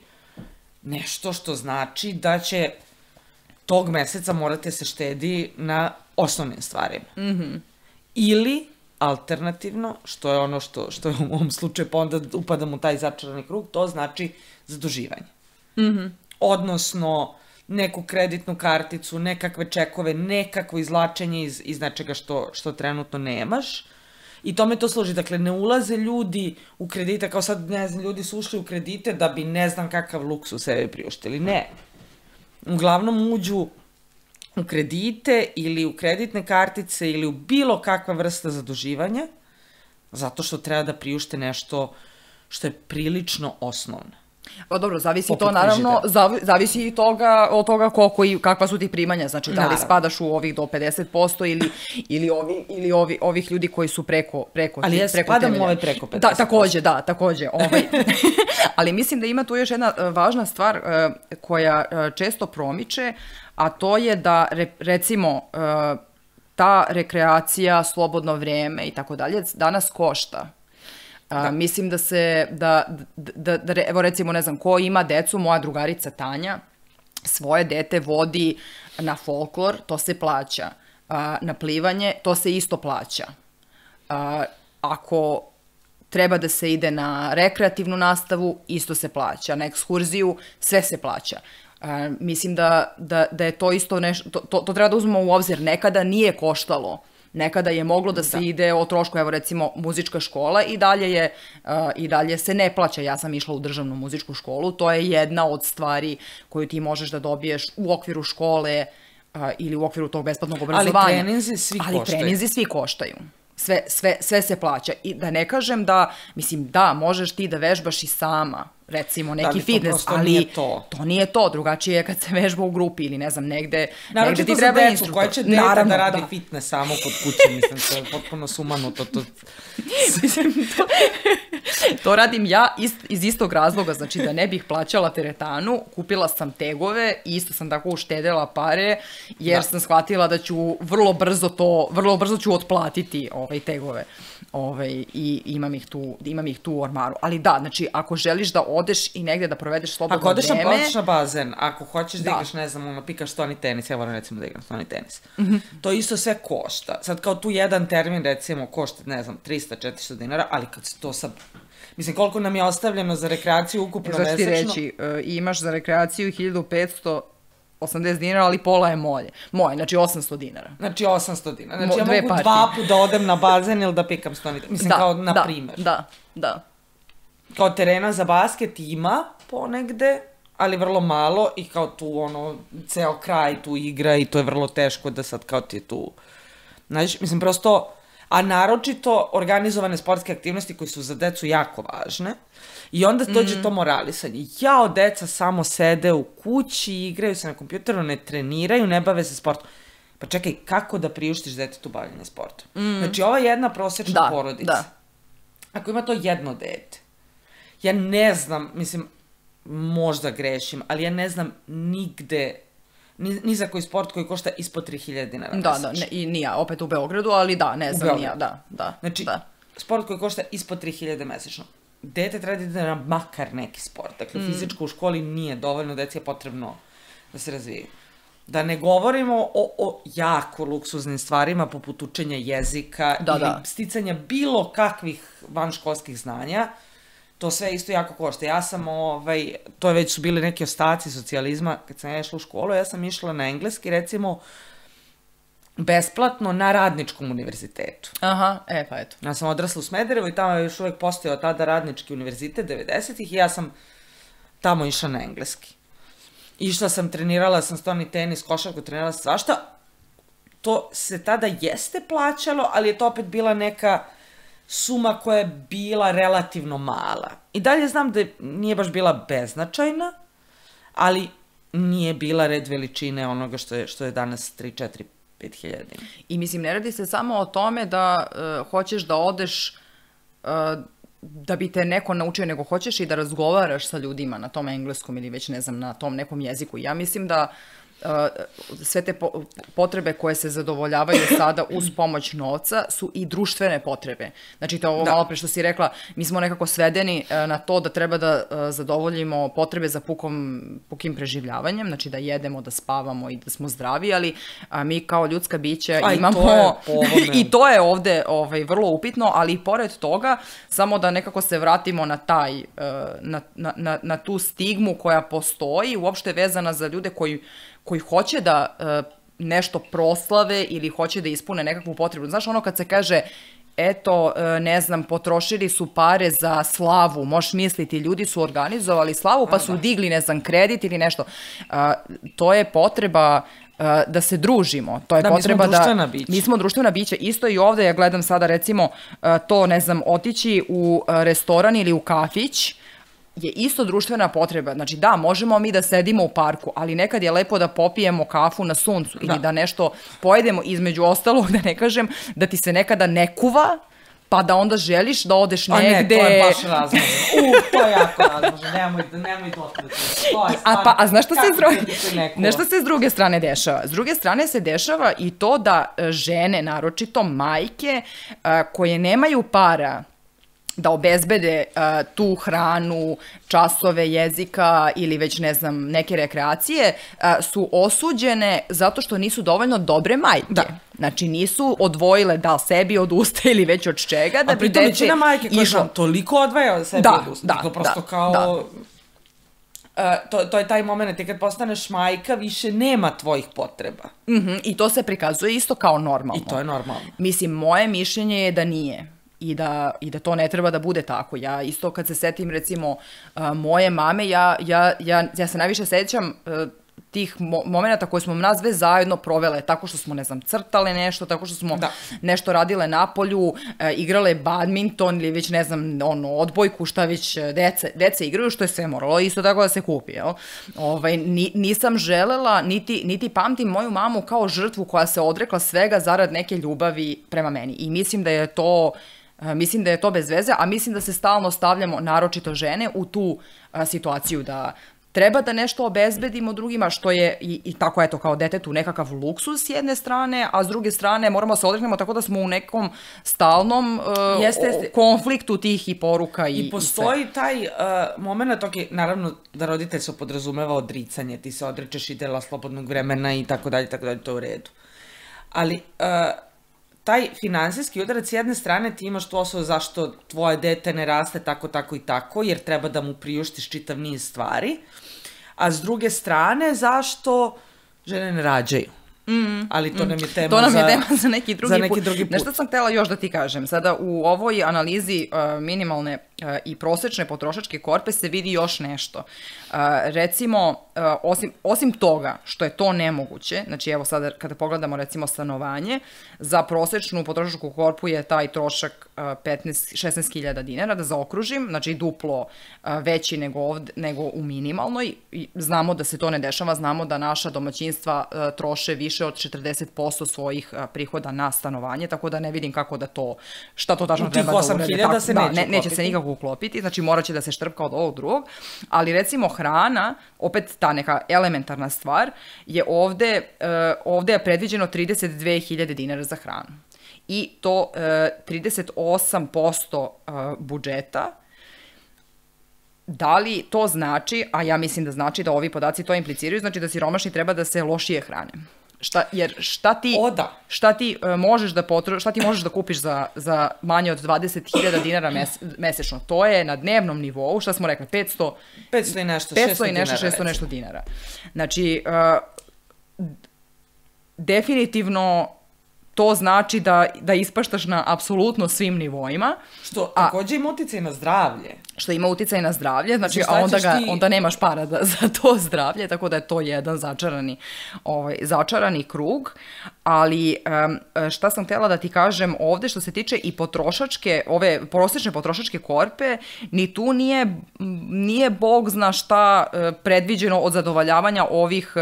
nešto što znači da će tog meseca morate se štedi na osnovnim stvarima. Mm-hmm. Ili, alternativno, što je ono što, što je u ovom slučaju, pa onda upadam u taj začarani krug, to znači zaduživanje. Mm-hmm. Odnosno, neku kreditnu karticu, nekakve čekove, nekakvo izvlačenje iz, iz nečega što, što trenutno nemaš. I tome to služi. Dakle, ne ulaze ljudi u kredite, kao sad, ne znam, ljudi su ušli u kredite da bi ne znam kakav luksus sebi priuštili. Ne. Uglavnom uđu u kredite ili u kreditne kartice ili u bilo kakva vrsta zaduživanja, zato što treba da priušte nešto što je prilično osnovno. Pa dobro, zavisi to naravno, zav, zavisi i toga, od toga koliko i kakva su ti primanja, znači da li naravno spadaš u ovih do pedeset posto ili, ili, ovi, ili ovi, ovih ljudi koji su preko, preko ali ja preko spadam u ove preko pedeset posto. Da, takođe, da, takođe. Ovaj. Ali mislim da ima tu još jedna važna stvar uh, koja uh, često promiče, a to je da re, recimo uh, ta rekreacija, slobodno vreme i tako dalje danas košta. Da. Uh, mislim da se, da, da, da, evo recimo, ne znam, ko ima decu, moja drugarica Tanja, svoje dete vodi na folklor, to se plaća. Uh, na plivanje, to se isto plaća. Uh, ako treba da se ide na rekreativnu nastavu, isto se plaća. Na ekskurziju, sve se plaća. Uh, mislim da, da, da je to isto nešto, to, to, to treba da uzmemo u obzir. Nekada nije koštalo. Nekada je moglo da se da. ide o trošku, evo recimo muzička škola i dalje, je, uh, i dalje se ne plaća. Ja sam išla u državnu muzičku školu, to je jedna od stvari koju ti možeš da dobiješ u okviru škole uh, ili u okviru tog besplatnog obrazovanja. Ali treninzi svi Ali koštaju. Ali treninzi svi koštaju. Sve, sve, sve se plaća. I da ne kažem da, mislim, da, možeš ti da vežbaš i sama, recimo, neki fitness, ali nije to. to nije to. Drugačije je kad se vežba u grupi ili ne znam, negde, naravno, negde ti treba instruktor. Koja će dete naravno, da radi da. fitness samo kod kuće, mislim, to je potpuno sumanuto. To... Mislim, to, to radim ja ist, iz istog razloga, znači da ne bih plaćala teretanu, kupila sam tegove i isto sam tako uštedela pare, jer da. sam shvatila da ću vrlo brzo to, vrlo brzo ću otplatiti ovaj tegove. Ovaj, i imam ih, tu, imam ih tu u ormaru. Ali da, znači, ako želiš da odeš i negde da provedeš slobodno vreme... Ako odeš vreme, na, na bazen, ako hoćeš da, da igraš, ne znam, ono, pikaš stoni tenis, ja volim recimo da igram stoni tenis, mm-hmm. to isto sve košta. Sad kao tu jedan termin, recimo, košta, ne znam, trista do četiristo dinara, ali kad se to sad... Mislim, koliko nam je ostavljeno za rekreaciju ukupno mesečno... Znači ti reći, uh, imaš za rekreaciju hiljadu petsto osamdeset dinara, ali pola je moje. Moje, znači osamsto dinara. Znači osamsto dinara. Znači Mo, ja mogu partije. dva put da odem na bazen ili da pikam stoni. Mislim, da, kao na da, primer. Da, da. Kao terena za basket ima ponegde, ali vrlo malo i kao tu ono, ceo kraj tu igra i to je vrlo teško da sad kao ti je tu... Znači, mislim, prosto... A naročito organizovane sportske aktivnosti koji su za decu jako važne. I onda dođe mm. to moralisanje. Jao, deca samo sede u kući, igraju se na kompjuteru, ne treniraju, ne bave se sportom. Pa čekaj, kako da priuštiš detetu bavljanje sportom? Mm. Znači, ova jedna prosječna da, porodica, da. ako ima to jedno dete, ja ne znam, mislim, možda grešim, ali ja ne znam nigde, ni, ni za koji sport koji košta ispod tri hiljade dinara Da, mesečno. da, ne, i nija, opet u Beogradu, ali da, ne znam, nija, da, da. Znači, da. sport koji košta ispod tri hiljade mesečno. Dete treba da ide na makar neki sport. Dakle, mm. fizičko u školi nije dovoljno, deci je potrebno da se razvije. Da ne govorimo o, o jako luksuznim stvarima poput učenja jezika da, ili da. sticanja bilo kakvih vanškolskih znanja. To sve isto jako košta. Ja sam, ovaj, to je već su bili neki ostaci socijalizma, kad sam ja išla u školu, ja sam išla na engleski, recimo, besplatno na Radničkom univerzitetu. Aha, e pa eto. Ja sam odrasla u Smederevu i tamo je još uvek postojao tada Radnički univerzitet devedesetih i ja sam tamo išla na engleski. Išla sam, trenirala sam stoni tenis, košarku, trenirala sam svašta. To se tada jeste plaćalo, ali je to opet bila neka suma koja je bila relativno mala. I dalje znam da nije baš bila beznačajna, ali nije bila red veličine onoga što je, što je danas tri, četiri, pet hiljada. I mislim, ne radi se samo o tome da uh, hoćeš da odeš uh, da bi te neko naučio, nego hoćeš i da razgovaraš sa ljudima na tom engleskom ili već ne znam, na tom nekom jeziku. Ja mislim da uh, sve te po potrebe koje se zadovoljavaju sada uz pomoć novca su i društvene potrebe. Znači, to ovo da. malo pre što si rekla, mi smo nekako svedeni uh, na to da treba da uh, zadovoljimo potrebe za pukom, pukim preživljavanjem, znači da jedemo, da spavamo i da smo zdravi, ali uh, mi kao ljudska bića A, imamo... I to je, po ovome. I to je ovde ovaj, vrlo upitno, ali i pored toga, samo da nekako se vratimo na taj, uh, na, na, na, na tu stigmu koja postoji, uopšte vezana za ljude koji koji hoće da uh, nešto proslave ili hoće da ispune nekakvu potrebu. Znaš, ono kad se kaže, eto, uh, ne znam, potrošili su pare za slavu, možeš misliti, ljudi su organizovali slavu, pa su digli, ne znam, kredit ili nešto. Uh, to je potreba uh, da se družimo. To je da, potreba mi smo društvena da, bića. Mi smo društvena bića. Isto i ovde, ja gledam sada, recimo, uh, to, ne znam, otići u uh, restoran ili u kafić, je isto društvena potreba. Znači da, možemo mi da sedimo u parku, ali nekad je lepo da popijemo kafu na suncu ili da, da nešto pojedemo, između ostalog, da ne kažem, da ti se nekada ne kuva, pa da onda želiš da odeš negde... A ne, to je baš razmožno. U, to je jako razmožno. Nemoj, nemoj dotknuti. To je a, pa, a znaš što se, s druge, nešto se s druge strane dešava? S druge strane se dešava i to da žene, naročito majke, koje nemaju para da obezbede uh, tu hranu, časove jezika ili već, ne znam, neke rekreacije, uh, su osuđene zato što nisu dovoljno dobre majke. Da. Znači, nisu odvojile da sebi od usta ili već od čega, da a bi dete... A pritom većina majke koja išlo... toliko odvaja od sebi da, od usta. Da, to prosto da, kao... Da. Uh, to, to je taj moment, i kad postaneš majka, više nema tvojih potreba. Mm-hmm, I to se prikazuje isto kao normalno. I to je normalno. Mislim, moje mišljenje je da nije. I da, i da to ne treba da bude tako. Ja isto kad se setim, recimo, uh, moje mame, ja, ja, ja, ja se najviše sećam uh, tih mo momenta koje smo nas sve zajedno provele, tako što smo, ne znam, crtale nešto, tako što smo da. nešto radile na polju, e, igrale badminton ili već, ne znam, ono, odbojku, šta već dece, dece igraju, što je sve moralo isto tako da se kupi, jel? Ovaj, ni, nisam želela, niti, niti pamtim moju mamu kao žrtvu koja se odrekla svega zarad neke ljubavi prema meni. I mislim da je to... Mislim da je to bez veze, a mislim da se stalno stavljamo, naročito žene, u tu a, situaciju da treba da nešto obezbedimo drugima, što je i, i tako, eto, kao detetu nekakav luksus s jedne strane, a s druge strane moramo se odreknemo tako da smo u nekom stalnom uh, jeste, jeste. konfliktu tih i poruka i, I postoji i sve. taj uh, moment, ok, naravno da roditelj se podrazumeva odricanje, ti se odrečeš i dela slobodnog vremena i tako dalje, tako dalje, to je u redu. Ali... Uh, taj finansijski udarac s jedne strane ti imaš tu osobu zašto tvoje dete ne raste tako, tako i tako, jer treba da mu priuštiš čitav niz stvari, a s druge strane zašto žene ne rađaju. Mm, ali to nam je tema, to nam je za, tema za neki drugi, za neki put. drugi put. Nešto sam htela još da ti kažem. Sada u ovoj analizi uh, minimalne uh, i prosečne potrošačke korpe se vidi još nešto. Uh, recimo, uh, osim, osim toga što je to nemoguće, znači evo sada kada pogledamo recimo stanovanje, za prosečnu potrošačku korpu je taj trošak uh, petnaest šesnaest hiljada dinara, da zaokružim, znači duplo uh, veći nego, ovde, nego u minimalnoj. I znamo da se to ne dešava, znamo da naša domaćinstva uh, troše više od četrdeset posto svojih uh, prihoda na stanovanje, tako da ne vidim kako da to, šta to tačno treba da urede. U tih osam hiljada se da, neće ne, neće ukopiti. se nikako ga uklopiti, znači morat će da se štrpka od ovog drugog, ali recimo hrana, opet ta neka elementarna stvar, je ovde, uh, ovde je predviđeno trideset dve hiljade dinara za hranu. I to uh, trideset osam posto uh, budžeta. Da li to znači, a ja mislim da znači da ovi podaci to impliciraju, znači da siromašni treba da se lošije hrane. Šta, jer šta ti, o, da. šta ti uh, možeš da potro, šta ti možeš da kupiš za, za manje od dvadeset hiljada dinara mes, mesečno? To je na dnevnom nivou, šta smo rekli, petsto, petsto i nešto, petsto i nešto, šesto nešto dinara. Znači, uh, definitivno to znači da, da ispaštaš na apsolutno svim nivoima. Što takođe ima uticaj na zdravlje. Što ima uticaj na zdravlje, znači, a onda, ga, ti... onda nemaš para da, za to zdravlje, tako da je to jedan začarani, ovaj, začarani krug. Ali um, šta sam htjela da ti kažem ovde što se tiče i potrošačke, ove prosječne potrošačke korpe, ni tu nije, nije bog zna šta predviđeno od zadovoljavanja ovih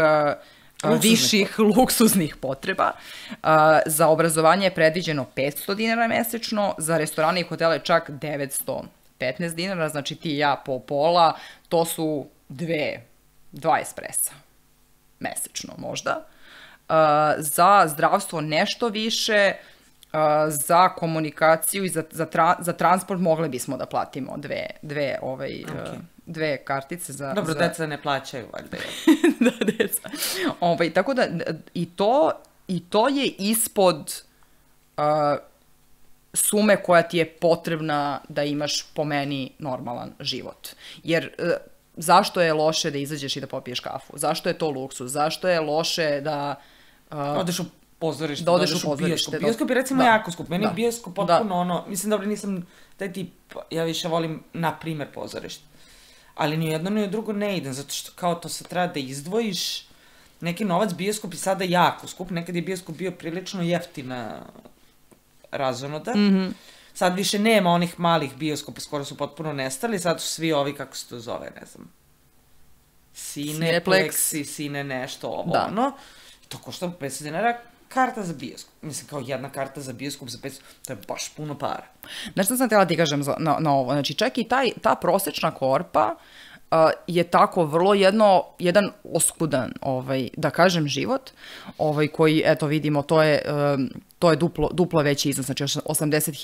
Luksuznih. viših luksuznih potreba. Uh, za obrazovanje je predviđeno petsto dinara mesečno, za restorane i hotele čak devetsto petnaest dinara, znači ti i ja po pola, to su dve, dva espresa mesečno možda. Uh, za zdravstvo nešto više, uh, za komunikaciju i za, za, tra, za transport mogli bismo da platimo dve, dve ovaj... Okay. Uh, dve kartice za... Dobro, za... deca ne plaćaju, valjda. da, deca. Ovaj, tako da, i to, i to je ispod uh, sume koja ti je potrebna da imaš, po meni, normalan život. Jer uh, zašto je loše da izađeš i da popiješ kafu? Zašto je to luksuz? Zašto je loše da... Uh, odeš u pozorište, da odeš u pozorište. Bioskop. Bioskop je recimo da. jako skup. Meni da. je bioskop potpuno da. ono... Mislim, dobro, nisam taj tip... Ja više volim, na primer, pozorište. Ali ni jedno ni drugo ne idem, zato što kao to se treba da izdvojiš neki novac. Bioskop je sada jako skup, nekad je bioskop bio prilično jeftina razonoda. Mm-hmm. Sad više nema onih malih bioskopa, skoro su potpuno nestali, sad su svi ovi, kako se to zove, ne znam, Cineplex i Cine nešto, ovo, da. ono. To košta petsto dinara karta za bioskop. Mislim, kao jedna karta za bioskop za petsto, to je baš puno para. Znaš što sam htjela ti kažem za, na, na ovo? Znači, čak i taj, ta prosečna korpa uh, je tako vrlo jedno, jedan oskudan, ovaj, da kažem, život, ovaj, koji, eto, vidimo, to je, um, to je duplo, duplo veći iznos, znači osamdeset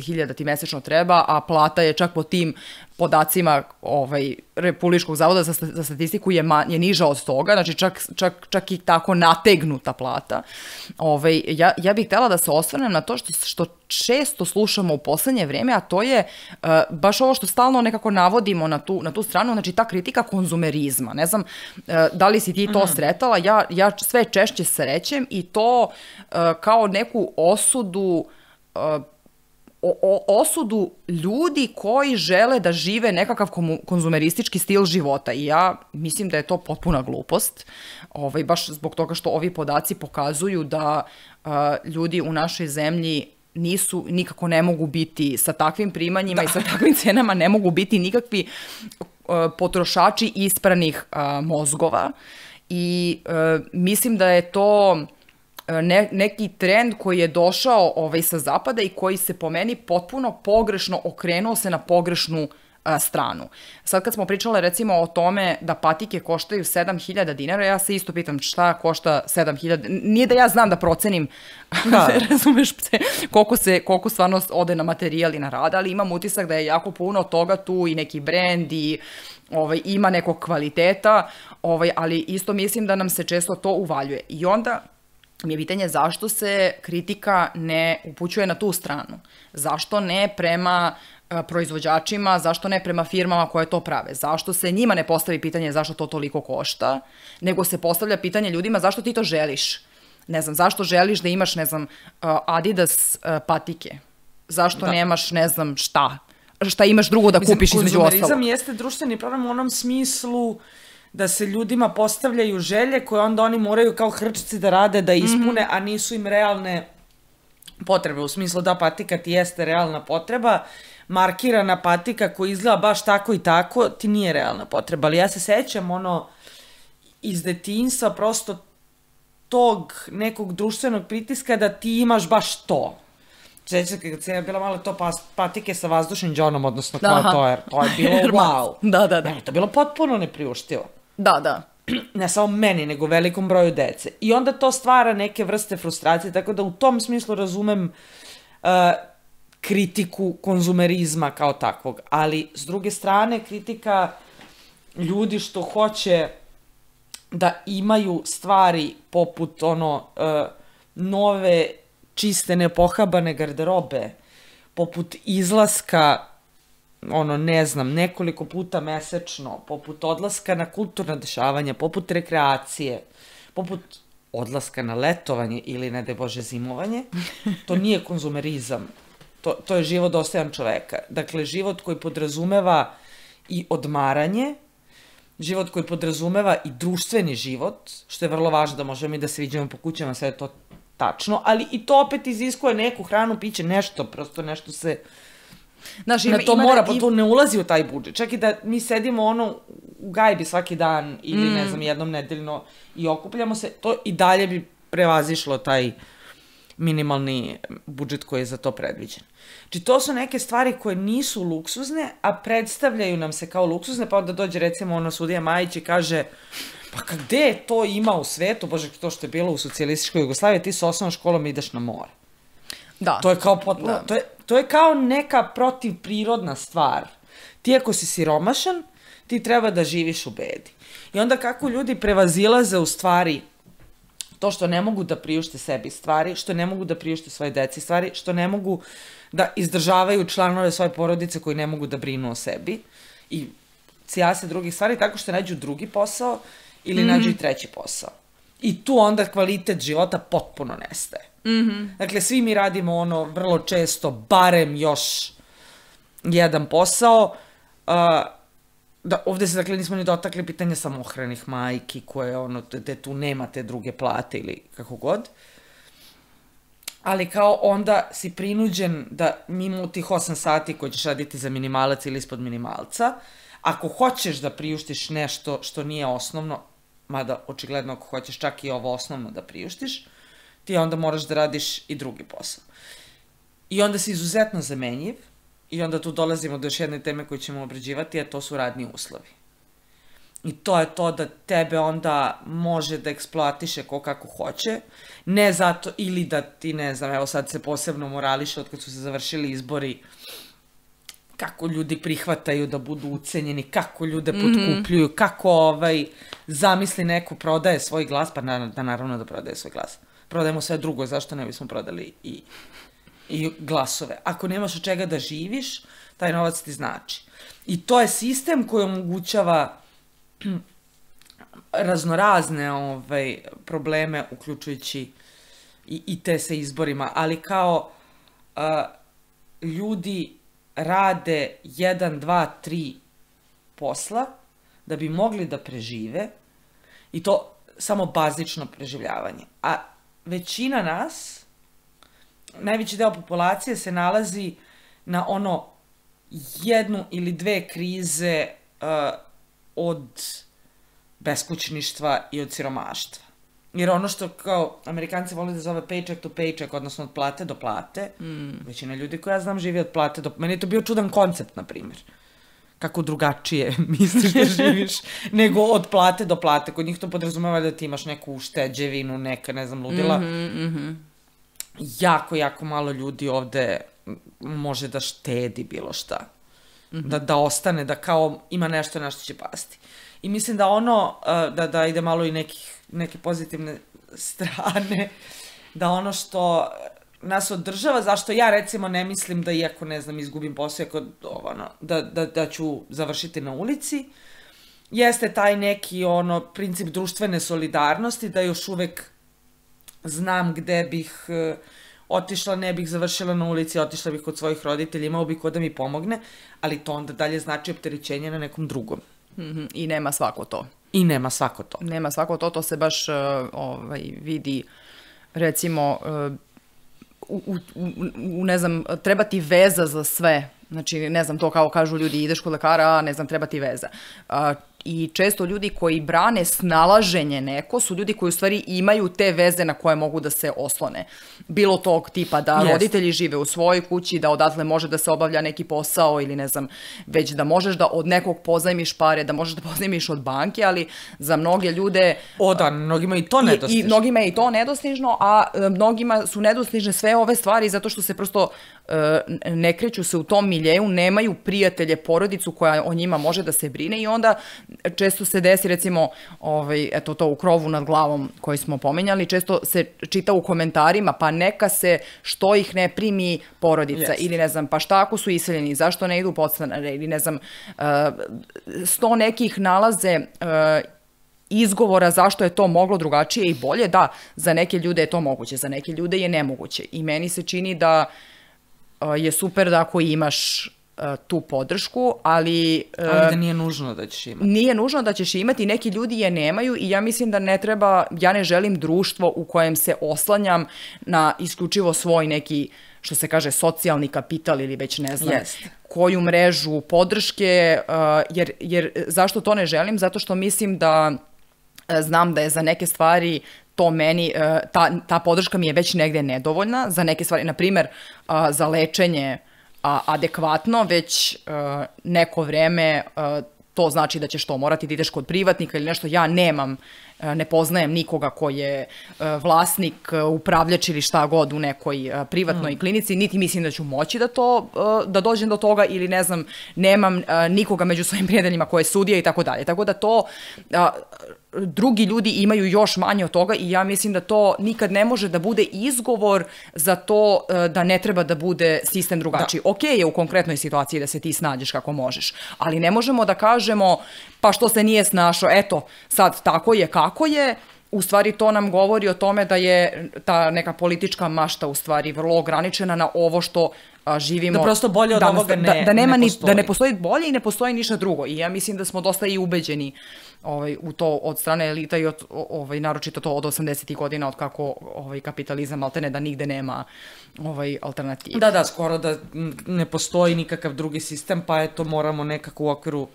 hiljada ti mesečno treba, a plata je čak po tim podacima ovaj, Republičkog zavoda za, za statistiku je, man, je niža od toga, znači čak, čak, čak i tako nategnuta plata. Ovaj, ja, ja bih htjela da se osvrnem na to što, što često slušamo u poslednje vreme, a to je uh, baš ovo što stalno nekako navodimo na tu, na tu stranu, znači ta kritika konzumerizma. Ne znam uh, da li si ti to mm. sretala, ja, ja sve češće srećem i to uh, kao neku osudu uh, O, o, osudu ljudi koji žele da žive nekakav konzumeristički stil života i ja mislim da je to potpuna glupost, ovaj, baš zbog toga što ovi podaci pokazuju da uh, ljudi u našoj zemlji nisu, nikako ne mogu biti sa takvim primanjima da. i sa takvim cenama ne mogu biti nikakvi uh, potrošači ispranih uh, mozgova i uh, mislim da je to Ne, neki trend koji je došao ovaj, sa zapada i koji se po meni potpuno pogrešno okrenuo se na pogrešnu a, stranu. Sad kad smo pričale recimo o tome da patike koštaju sedam hiljada dinara, ja se isto pitam šta košta sedam hiljada, nije da ja znam da procenim, da. razumeš se, koliko, se, koliko stvarno ode na materijal i na rad, ali imam utisak da je jako puno toga tu i neki brend i ovaj, ima nekog kvaliteta, ovaj, ali isto mislim da nam se često to uvaljuje. I onda mi je pitanje zašto se kritika ne upućuje na tu stranu. Zašto ne prema uh, proizvođačima, zašto ne prema firmama koje to prave? Zašto se njima ne postavi pitanje zašto to toliko košta, nego se postavlja pitanje ljudima zašto ti to želiš? Ne znam, zašto želiš da imaš, ne znam, uh, Adidas uh, patike? Zašto da. nemaš, ne znam, šta? Šta imaš drugo da Mislim, kupiš između ostalog? Konzumerizam jeste društveni problem u onom smislu da se ljudima postavljaju želje koje onda oni moraju kao hrčci da rade, da ispune, mm-hmm. a nisu im realne potrebe. U smislu da patika ti jeste realna potreba, markirana patika koja izgleda baš tako i tako, ti nije realna potreba. Ali ja se sećam ono iz detinjstva prosto tog nekog društvenog pritiska da ti imaš baš to. Sjećam se kad sam ja bila malo to pas, patike sa vazdušnim džonom, odnosno kao to je, to je bilo wow. Da, da, da. Meni to bilo potpuno nepriuštivo. Da, da. Ne samo meni, nego velikom broju dece. I onda to stvara neke vrste frustracije, tako da u tom smislu razumem uh, kritiku konzumerizma kao takvog. Ali, s druge strane, kritika ljudi što hoće da imaju stvari poput ono uh, nove, čiste, nepohabane garderobe, poput izlaska, ono, ne znam, nekoliko puta mesečno, poput odlaska na kulturna dešavanja, poput rekreacije, poput odlaska na letovanje ili, ne daj Bože, zimovanje, to nije konzumerizam. To, to je život dostojan čoveka. Dakle, život koji podrazumeva i odmaranje, život koji podrazumeva i društveni život, što je vrlo važno da možemo i da se viđamo po kućama, sve je to tačno, ali i to opet iziskuje neku hranu, piće, nešto, prosto nešto se... Znaš, ima, na to ima mora, pa to ne ulazi u taj budžet. Čak i da mi sedimo ono u gajbi svaki dan ili, mm. ne znam, jednom nedeljno i okupljamo se, to i dalje bi prevazišlo taj minimalni budžet koji je za to predviđen. Znači, to su neke stvari koje nisu luksuzne, a predstavljaju nam se kao luksuzne, pa onda dođe, recimo, ono, sudija Majić i kaže, pa gde to ima u svetu, bože, to što je bilo u socijalističkoj Jugoslaviji, ti sa osnovnom školom ideš na more. Da. To je kao potpuno, da. to, je, to je kao neka protivprirodna stvar. Ti ako si siromašan, ti treba da živiš u bedi. I onda kako ljudi prevazilaze u stvari to što ne mogu da priušte sebi stvari, što ne mogu da priušte svoje deci stvari, što ne mogu da izdržavaju članove svoje porodice koji ne mogu da brinu o sebi i cijase drugih stvari tako što nađu drugi posao ili mm-hmm. nađu i treći posao. I tu onda kvalitet života potpuno nestaje. Mm-hmm. Dakle, svi mi radimo ono vrlo često, barem još jedan posao. Uh, da, ovde se, dakle, nismo ni dotakli pitanja samohranih majki koje, ono, gde tu nemate druge plate ili kako god. Ali kao onda si prinuđen da mimo tih osam sati koje ćeš raditi za minimalac ili ispod minimalca, ako hoćeš da priuštiš nešto što nije osnovno, mada očigledno ako hoćeš čak i ovo osnovno da priuštiš, ti onda moraš da radiš i drugi posao. I onda si izuzetno zamenjiv i onda tu dolazimo do još jedne teme koju ćemo obrađivati, a to su radni uslovi. I to je to da tebe onda može da eksploatiše ko kako hoće, ne zato ili da ti, ne znam, evo sad se posebno morališe od kad su se završili izbori, kako ljudi prihvataju da budu ucenjeni, kako ljude potkupljuju, mm-hmm. kako ovaj, zamisli neko prodaje svoj glas, pa na, da naravno da prodaje svoj glas. Prodajemo sve drugo, zašto ne bismo prodali i, i glasove. Ako nemaš od čega da živiš, taj novac ti znači. I to je sistem koji omogućava raznorazne ovaj, probleme, uključujući i, i te sa izborima, ali kao uh, ljudi rade jedan, dva, tri posla da bi mogli da prežive i to samo bazično preživljavanje. A većina nas, najveći deo populacije se nalazi na ono jednu ili dve krize uh, od beskućništva i od siromaštva. Jer ono što kao Amerikanci vole da zove paycheck to paycheck, odnosno od plate do plate, mm. većina ljudi koja ja znam živi od plate do... Meni je to bio čudan koncept, na primjer. Kako drugačije misliš da živiš nego od plate do plate. Kod njih to podrazumeva da ti imaš neku ušteđevinu, neka, ne znam, ludila. Mm-hmm, mm-hmm. Jako, jako malo ljudi ovde može da štedi bilo šta. Mm-hmm. Da, da ostane, da kao ima nešto na što će pasti. I mislim da ono, da, da ide malo i nekih, neke pozitivne strane, da ono što nas održava, zašto ja recimo ne mislim da iako, ne znam, izgubim posao, iako, ono, da, da, da ću završiti na ulici, jeste taj neki ono princip društvene solidarnosti, da još uvek znam gde bih uh, otišla, ne bih završila na ulici, otišla bih kod svojih roditelja, imao bih ko da mi pomogne, ali to onda dalje znači opterećenje na nekom drugom. Mm-hmm. I nema svako to. I nema svako to. Nema svako to, to se baš uh, ovaj, vidi, recimo, uh, u, u, u, ne znam, treba ti veza za sve. Znači, ne znam, to kao kažu ljudi, ideš kod lekara, a ne znam, treba ti veza. Uh, i često ljudi koji brane snalaženje neko su ljudi koji u stvari imaju te veze na koje mogu da se oslone. Bilo tog tipa da Jest. roditelji žive u svojoj kući, da odatle može da se obavlja neki posao ili ne znam, već da možeš da od nekog pozajmiš pare, da možeš da pozajmiš od banke, ali za mnoge ljude... O da, mnogima i to nedostižno. I, i mnogima je i to nedostižno, a e, mnogima su nedostižne sve ove stvari zato što se prosto e, ne kreću se u tom miljeju, nemaju prijatelje, porodicu koja o njima može da se brine i onda često se desi recimo ovaj, eto to u krovu nad glavom koji smo pominjali, često se čita u komentarima pa neka se što ih ne primi porodica Yes. ili ne znam pa šta ako su iseljeni, zašto ne idu podstanare ili ne znam uh, sto nekih nalaze uh, izgovora zašto je to moglo drugačije i bolje, da, za neke ljude je to moguće, za neke ljude je nemoguće i meni se čini da uh, je super da ako imaš uh, tu podršku, ali... Uh, Ali da nije nužno da ćeš imati. Nije nužno da ćeš imati, neki ljudi je nemaju i ja mislim da ne treba, ja ne želim društvo u kojem se oslanjam na isključivo svoj neki, što se kaže, socijalni kapital ili već ne znam Jest. koju mrežu podrške, uh, jer, jer zašto to ne želim? Zato što mislim da uh, znam da je za neke stvari to meni, uh, ta, ta podrška mi je već negde nedovoljna, za neke stvari, na primer, uh, za lečenje a, adekvatno, već uh, neko vreme uh, to znači da ćeš to morati da ideš kod privatnika ili nešto. Ja nemam, uh, ne poznajem nikoga ko je uh, vlasnik, uh, upravljač ili šta god u nekoj uh, privatnoj mm. klinici, niti mislim da ću moći da to, uh, da dođem do toga ili ne znam, nemam uh, nikoga među svojim prijateljima koje je sudija i tako dalje. Tako da to... Uh, drugi ljudi imaju još manje od toga i ja mislim da to nikad ne može da bude izgovor za to da ne treba da bude sistem drugačiji. Da. Ok je u konkretnoj situaciji da se ti snađeš kako možeš, ali ne možemo da kažemo pa što se nije snašao, eto, sad tako je kako je. U stvari to nam govori o tome da je ta neka politička mašta u stvari vrlo ograničena na ovo što a, živimo. Da prosto bolje od danas, ovoga ne, da, da nema ne ni, postoji. Da ne postoji bolje i ne postoji ništa drugo. I ja mislim da smo dosta i ubeđeni ovaj, u to od strane elita i od, ovaj, naročito to od osamdesetih godina od kako ovaj, kapitalizam maltene da nigde nema ovaj, alternative. Da, da, skoro da ne postoji nikakav drugi sistem, pa eto moramo nekako u okviru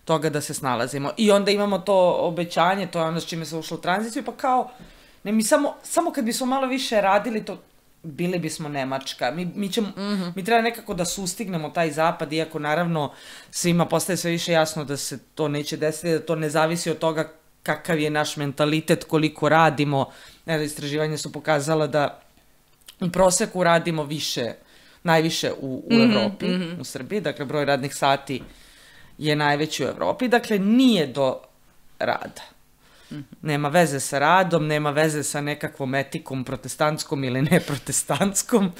toga da se snalazimo. I onda imamo to obećanje, to je ono s čime se ušlo u tranziciju, pa kao, ne, mi samo, samo kad bismo malo više radili to, bili bismo Nemačka. Mi, mi, ćemo, mm-hmm. mi treba nekako da sustignemo taj zapad, iako naravno svima postaje sve više jasno da se to neće desiti, da to ne zavisi od toga kakav je naš mentalitet, koliko radimo. Evo, istraživanja su pokazala da u proseku radimo više, najviše u, u mm-hmm. Evropi, mm-hmm. u Srbiji, dakle broj radnih sati je najveći u Evropi, dakle nije do rada. Mm-hmm. Nema veze sa radom, nema veze sa nekakvom etikom protestantskom ili neprotestantskom,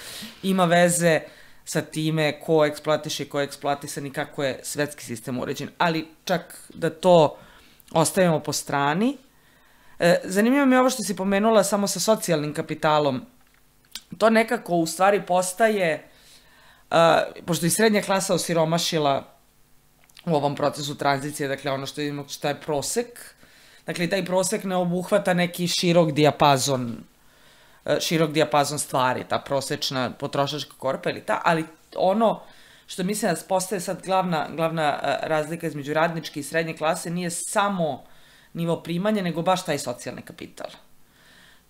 ima veze sa time ko eksploatiše i ko je eksploatisan i kako je svetski sistem uređen. Ali čak da to ostavimo po strani. E, zanimljivo mi je ovo što si pomenula samo sa socijalnim kapitalom. To nekako u stvari postaje, uh, pošto i srednja klasa osiromašila u ovom procesu tranzicije, dakle ono što je, što je prosek, dakle taj prosek ne obuhvata neki širok dijapazon, širok dijapazon stvari, ta prosečna potrošačka korpa ili ta, ali ono što mislim da postaje sad glavna, glavna razlika između radničke i srednje klase nije samo nivo primanja, nego baš taj socijalni kapital.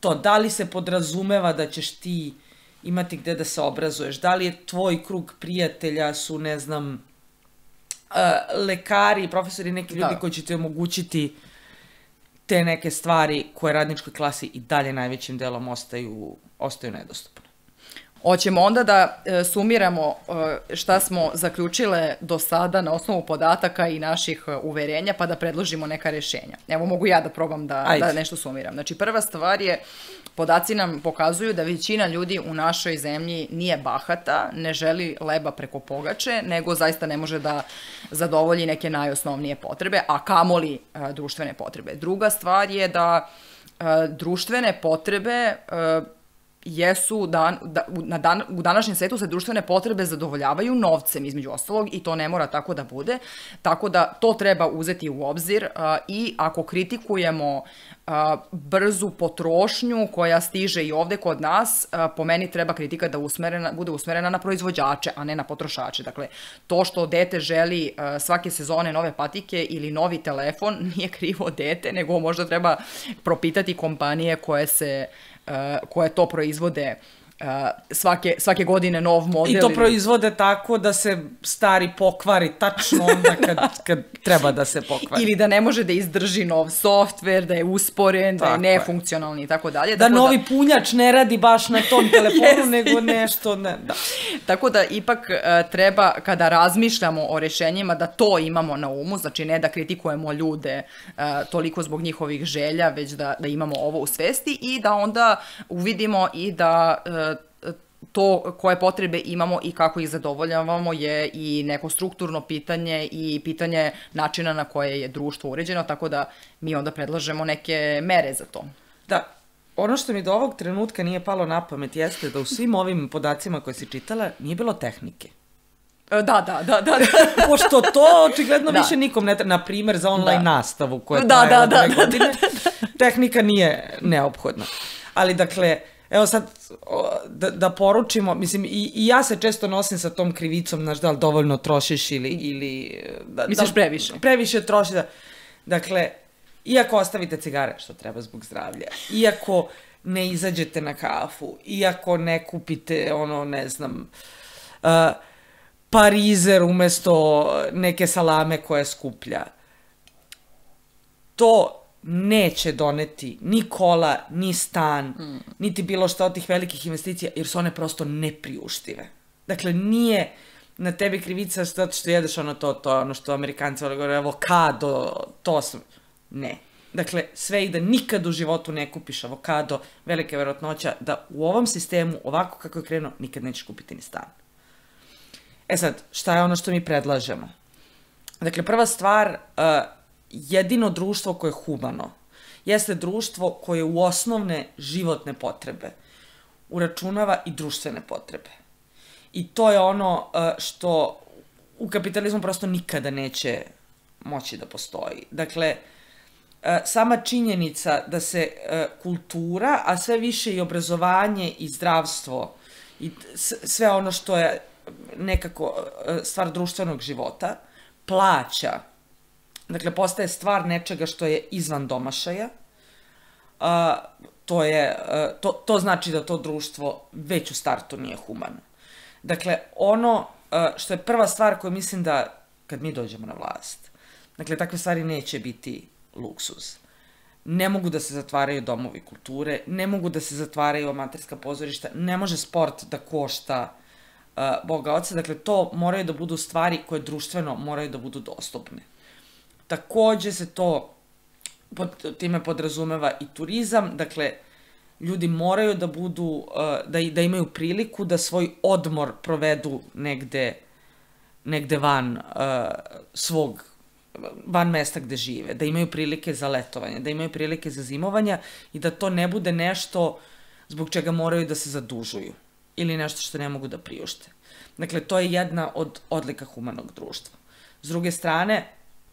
To, da li se podrazumeva da ćeš ti imati gde da se obrazuješ, da li je tvoj krug prijatelja su, ne znam, Uh, lekari, profesori, neki ljudi da. koji će ti omogućiti te neke stvari koje radničkoj klasi i dalje najvećim delom ostaju, ostaju nedostupne. Hoćemo onda da e, sumiramo e, šta smo zaključile do sada na osnovu podataka i naših e, uverenja, pa da predložimo neka rešenja. Evo, mogu ja da probam da, da nešto sumiram. Znači, prva stvar je, podaci nam pokazuju da većina ljudi u našoj zemlji nije bahata, ne želi leba preko pogače, nego zaista ne može da zadovolji neke najosnovnije potrebe, a kamoli e, društvene potrebe. Druga stvar je da e, društvene potrebe e, jesu dan, da, na dan, u današnjem svetu se društvene potrebe zadovoljavaju novcem između ostalog i to ne mora tako da bude, tako da to treba uzeti u obzir a, i ako kritikujemo a, brzu potrošnju koja stiže i ovde kod nas, a, po meni treba kritika da usmerena, bude usmerena na proizvođače, a ne na potrošače. Dakle, to što dete želi a, svake sezone nove patike ili novi telefon nije krivo dete, nego možda treba propitati kompanije koje se Uh, koje to proizvode uh, svake, svake godine nov model. I to proizvode tako da se stari pokvari tačno onda kad, kad treba da se pokvari. Ili da ne može da izdrži nov softver, da je usporen, tako da je nefunkcionalni i tako dalje. Da novi da... punjač ne radi baš na tom telefonu, nego nešto ne, da. Tako da ipak uh, treba, kada razmišljamo o rešenjima, da to imamo na umu, znači ne da kritikujemo ljude uh, toliko zbog njihovih želja, već da, da imamo ovo u svesti i da onda uvidimo i da uh, to koje potrebe imamo i kako ih zadovoljavamo je i neko strukturno pitanje i pitanje načina na koje je društvo uređeno, tako da mi onda predlažemo neke mere za to. Da. Ono što mi do ovog trenutka nije palo na pamet jeste da u svim ovim podacima koje si čitala nije bilo tehnike. Da, da, da, da. Pošto to očigledno da. više nikom ne treba, na primjer za online da. nastavu koja da, traje da, od dve da, godine, da, da, da. tehnika nije neophodna. Ali dakle, evo sad da, da poručimo, mislim i, i ja se često nosim sa tom krivicom, znaš da li dovoljno trošiš ili... ili da, Misliš da, previše? Previše troši, da. Dakle, iako ostavite cigare, što treba zbog zdravlja, iako ne izađete na kafu, iako ne kupite, ono, ne znam, uh, parizer umesto neke salame koja je skuplja, to neće doneti ni kola, ni stan, mm. niti bilo šta od tih velikih investicija, jer su one prosto nepriuštive. Dakle, nije na tebi krivica zato što jedeš ono to, to ono što Amerikanci govore, avokado, to sam... Ne. Dakle, sve i da nikad u životu ne kupiš avokado, velika je verovatnoća da u ovom sistemu, ovako kako je krenuo, nikad nećeš kupiti ni stan. E sad, šta je ono što mi predlažemo? Dakle, prva stvar, uh, jedino društvo koje je humano jeste društvo koje u osnovne životne potrebe uračunava i društvene potrebe. I to je ono uh, što u kapitalizmu prosto nikada neće moći da postoji. Dakle, sama činjenica da se kultura, a sve više i obrazovanje i zdravstvo i sve ono što je nekako stvar društvenog života, plaća. Dakle, postaje stvar nečega što je izvan domašaja. To, je, to, to znači da to društvo već u startu nije humano. Dakle, ono što je prva stvar koju mislim da, kad mi dođemo na vlast, dakle, takve stvari neće biti luksuz. Ne mogu da se zatvaraju domovi kulture, ne mogu da se zatvaraju amaterska pozorišta, ne može sport da košta uh, Boga oca, dakle to moraju da budu stvari koje društveno moraju da budu dostupne. Takođe se to, pod, time podrazumeva i turizam, dakle ljudi moraju da budu, uh, da, da imaju priliku da svoj odmor provedu negde, negde van uh, svog van mesta gde žive, da imaju prilike za letovanje, da imaju prilike za zimovanja i da to ne bude nešto zbog čega moraju da se zadužuju ili nešto što ne mogu da priušte. Dakle, to je jedna od odlika humanog društva. S druge strane,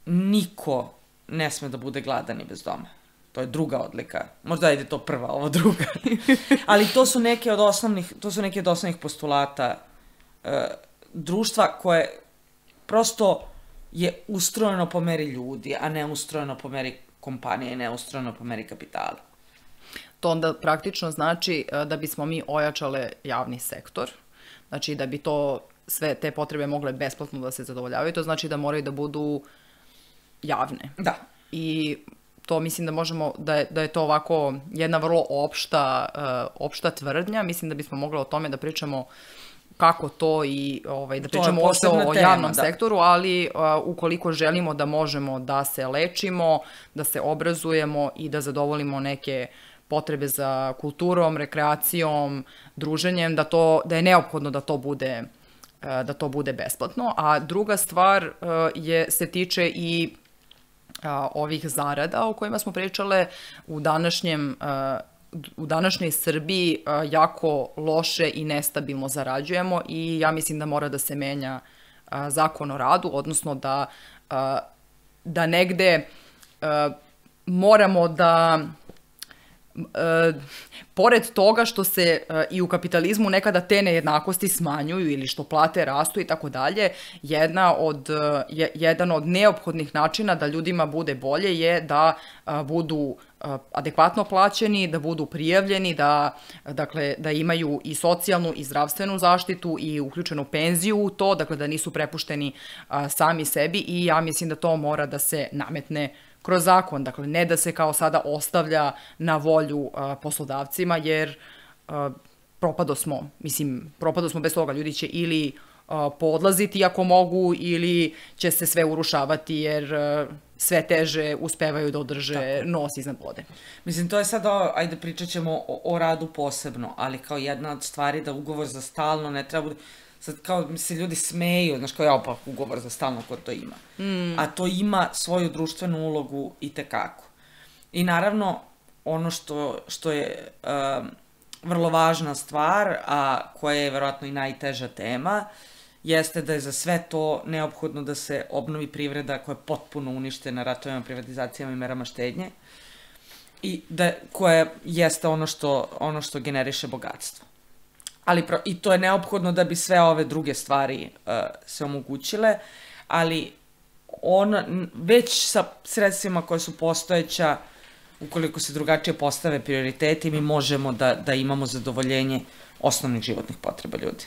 niko ne sme da bude gladan i bez doma. To je druga odlika. Možda ide to prva, ovo druga. Ali to su neke od osnovnih, to su neke od osnovnih postulata e, društva koje prosto je ustrojeno po meri ljudi, a ne ustrojeno po meri kompanije, ne ustrojeno po meri kapitala. To onda praktično znači da bismo mi ojačale javni sektor, znači da bi to sve te potrebe mogle besplatno da se zadovoljavaju, to znači da moraju da budu javne. Da. I to mislim da možemo, da je, da je to ovako jedna vrlo opšta, uh, opšta tvrdnja, mislim da bismo mogli o tome da pričamo kako to i ovaj, da pričamo o, o javnom tema, sektoru, da. Ali uh, ukoliko želimo da možemo da se lečimo, da se obrazujemo i da zadovoljimo neke potrebe za kulturom, rekreacijom, druženjem, da, to, da je neophodno da to bude, uh, da to bude besplatno. A druga stvar uh, je, se tiče i uh, ovih zarada o kojima smo pričale u današnjem uh, u današnjoj Srbiji uh, jako loše i nestabilno zarađujemo i ja mislim da mora da se menja uh, zakon o radu, odnosno da, uh, da negde uh, moramo da Uh, pored toga što se uh, i u kapitalizmu nekada te nejednakosti smanjuju ili što plate rastu i tako dalje, jedna od, uh, je, jedan od neophodnih načina da ljudima bude bolje je da uh, budu uh, adekvatno plaćeni, da budu prijavljeni, da, dakle, da imaju i socijalnu i zdravstvenu zaštitu i uključenu penziju u to, dakle da nisu prepušteni uh, sami sebi i ja mislim da to mora da se nametne kroz zakon, dakle ne da se kao sada ostavlja na volju uh, poslodavcima, jer uh, propado smo, mislim, propado smo bez toga, ljudi će ili uh, poodlaziti ako mogu, ili će se sve urušavati, jer uh, sve teže uspevaju da održe Tako. nos iznad vode. Mislim, to je sad, o, ajde pričat ćemo o, o radu posebno, ali kao jedna od stvari da ugovor za stalno ne treba bude. Sad kao se ljudi smeju, znaš kao ja pa ugovor za stalno ko to ima. Mm. A to ima svoju društvenu ulogu i tekako. I naravno, ono što, što je um, vrlo važna stvar, a koja je verovatno i najteža tema, jeste da je za sve to neophodno da se obnovi privreda koja je potpuno uništena ratovima, privatizacijama i merama štednje i da, koja jeste ono što, ono što generiše bogatstvo. Ali pro, i to je neophodno da bi sve ove druge stvari uh, se omogućile, ali on već sa sredstvima koje su postojeća, ukoliko se drugačije postave prioriteti, mi možemo da, da imamo zadovoljenje osnovnih životnih potreba ljudi.